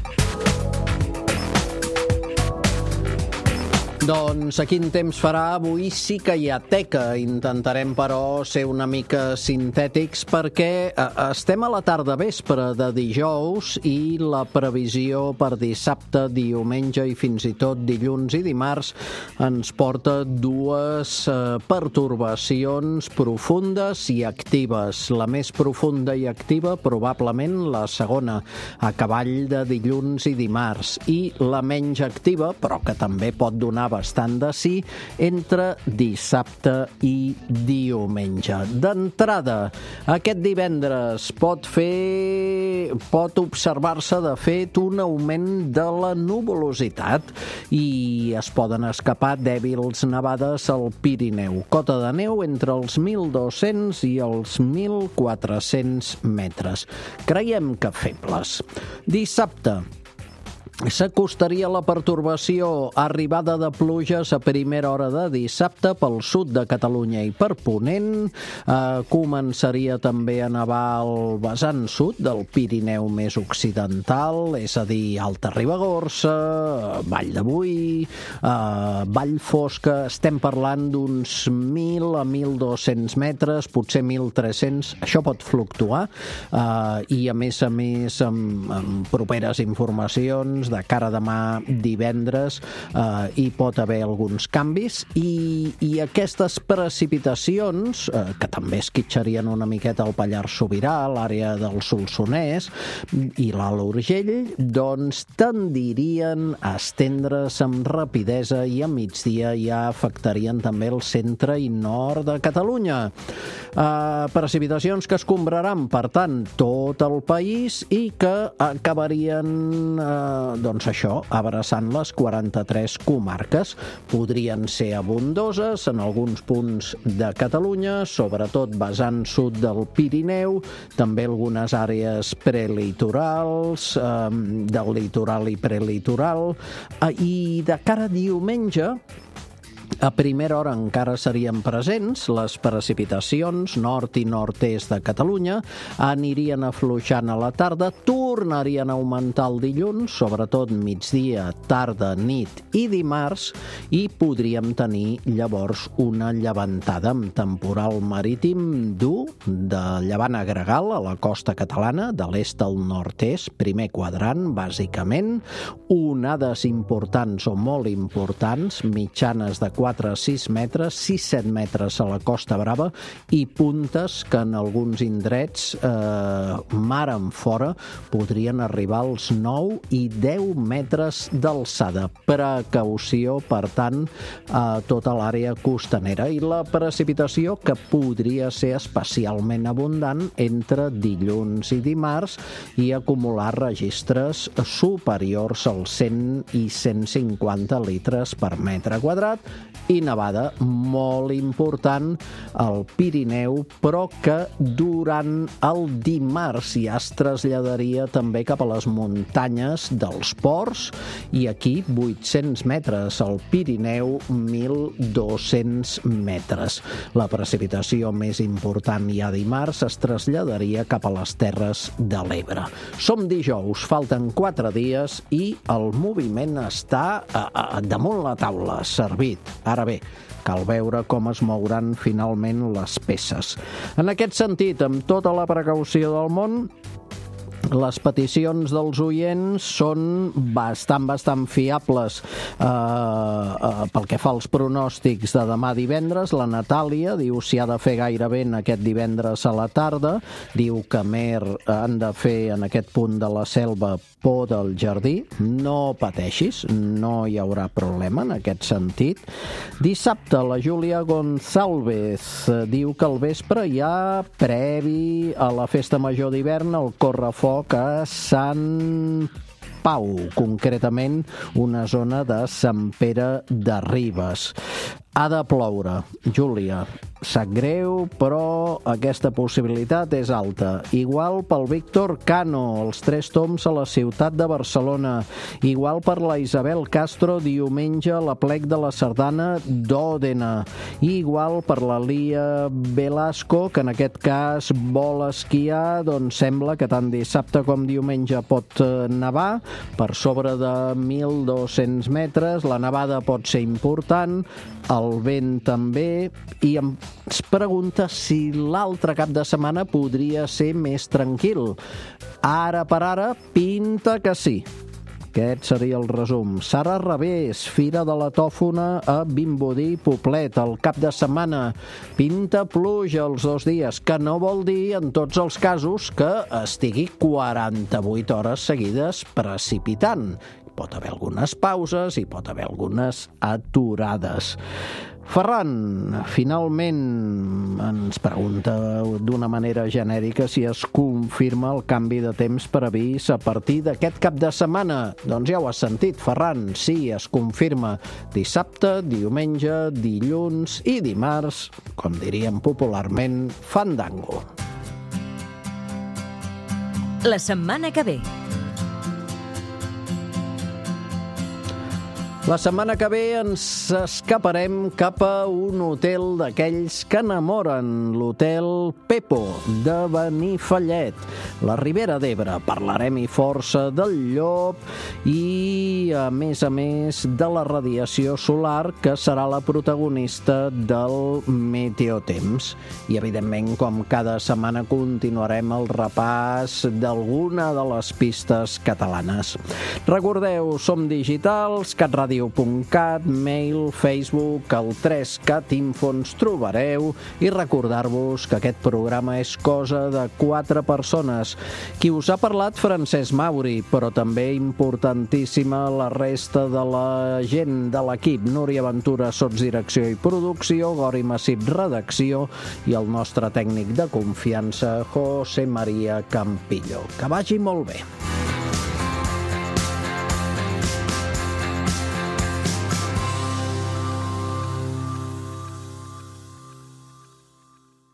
Doncs a quin temps farà? Avui sí que hi ha teca. Intentarem, però, ser una mica sintètics perquè estem a la tarda vespre de dijous i la previsió per dissabte, diumenge i fins i tot dilluns i dimarts ens porta dues pertorbacions profundes i actives. La més profunda i activa, probablement la segona, a cavall de dilluns i dimarts. I la menys activa, però que també pot donar bastant de sí, entre dissabte i diumenge. D'entrada, aquest divendres pot fer, pot observar-se de fet un augment de la nuvolositat i es poden escapar dèbils nevades al Pirineu. Cota de neu entre els mil dos-cents i els mil quatre-cents metres. Creiem que febles. Dissabte, s'acostaria la pertorbació, arribada de pluges a primera hora de dissabte pel sud de Catalunya i per Ponent. Eh, començaria també a nevar al vessant sud del Pirineu més occidental, és a dir, Alta Ribagorça, Vall de Boí, eh, Vall Fosca. Estem parlant d'uns mil a mil dos-cents metres, potser mil tres-cents. Això pot fluctuar eh, i, a més a més, amb, amb properes informacions de cara a demà divendres eh, hi pot haver alguns canvis i, i aquestes precipitacions, eh, que també esquitxarien una miqueta al Pallars Sobirà, l'àrea del Solsonès i l'Alt Urgell, doncs tendirien a estendre's amb rapidesa i a migdia ja afectarien també el centre i nord de Catalunya. Eh, precipitacions que escombraran, per tant, tot el país i que acabarien eh, doncs això, abraçant les quaranta-tres comarques. Podrien ser abundoses en alguns punts de Catalunya, sobretot vessant sud del Pirineu, també algunes àrees prelitorals, eh, del litoral i prelitoral, eh, i de cara a diumenge, a primera hora encara serien presents les precipitacions nord i nord-est de Catalunya, anirien afluixant a la tarda, tornarien a augmentar el dilluns, sobretot migdia, tarda, nit i dimarts, i podríem tenir llavors una llevantada amb temporal marítim dur de llevant a gregal a la costa catalana, de l'est al nord-est, primer quadrant, bàsicament, onades importants o molt importants, mitjanes de quatre a sis metres, sis a set metres a la Costa Brava i puntes que en alguns indrets eh, mar en fora podrien arribar als nou i deu metres d'alçada. Precaució, per tant, a tota l'àrea costanera i la precipitació que podria ser especialment abundant entre dilluns i dimarts i acumular registres superiors als cent i cent cinquanta litres per metre quadrat i nevada molt important al Pirineu, però que durant el dimarts ja es traslladaria també cap a les muntanyes dels ports i aquí vuit-cents metres, al Pirineu mil dos-cents metres. La precipitació més important ja dimarts es traslladaria cap a les Terres de l'Ebre. Som dijous, falten quatre dies i el moviment està a, a, damunt la taula, servit. Ara bé, cal veure com es mouran finalment les peces. En aquest sentit, amb tota la precaució del món, les peticions dels oients són bastant, bastant fiables. Eh, eh, pel que fa als pronòstics de demà divendres, la Natàlia diu si ha de fer gaire vent aquest divendres a la tarda, diu que mer han de fer en aquest punt de la selva por del jardí. No pateixis, no hi haurà problema en aquest sentit. Dissabte, la Júlia Gonzálvez diu que al vespre hi ha previ a la festa major d'hivern el correfoc a Sant Pau, concretament una zona de Sant Pere de Ribes. Ha de ploure. Júlia, sap greu, però aquesta possibilitat és alta. Igual pel Víctor Cano, els Tres Tombs a la ciutat de Barcelona. Igual per la Isabel Castro, diumenge a la plec de la Sardana d'Òdena. Igual per la Lia Velasco, que en aquest cas vol esquiar, doncs sembla que tant dissabte com diumenge pot nevar, per sobre de mil dos-cents metres. La nevada pot ser important, el vent també, i ens pregunta si l'altre cap de setmana podria ser més tranquil. Ara per ara, pinta que sí. Aquest seria el resum. Sara Revés, Fira de la Tòfona a Vimbodí, Poblet, el cap de setmana. Pinta pluja els dos dies, que no vol dir, en tots els casos, que estigui quaranta-vuit hores seguides precipitant. Pot haver algunes pauses i pot haver algunes aturades. Ferran, finalment, ens pregunta d'una manera genèrica si es confirma el canvi de temps previst a partir d'aquest cap de setmana. Doncs ja ho has sentit, Ferran, sí, es confirma dissabte, diumenge, dilluns i dimarts, com diríem popularment, fandango. La setmana que ve. La setmana que ve ens escaparem cap a un hotel d'aquells que enamoren, l'Hotel Pepo de Benifallet, la Ribera d'Ebre. Parlarem i força del llop i, a més a més, de la radiació solar, que serà la protagonista del Meteotemps. I, evidentment, com cada setmana, continuarem el repàs d'alguna de les pistes catalanes. Recordeu, som digitals, catradio punt cat, mail, Facebook, el tres cat info ens trobareu, i recordar-vos que aquest programa és cosa de quatre persones. Qui us ha parlat, Francesc Mauri, però també importantíssima la resta de la gent de l'equip. Núria Ventura, sotsdirecció i producció, Gori Massip, redacció, i el nostre tècnic de confiança, José María Campillo. Que vagi molt bé.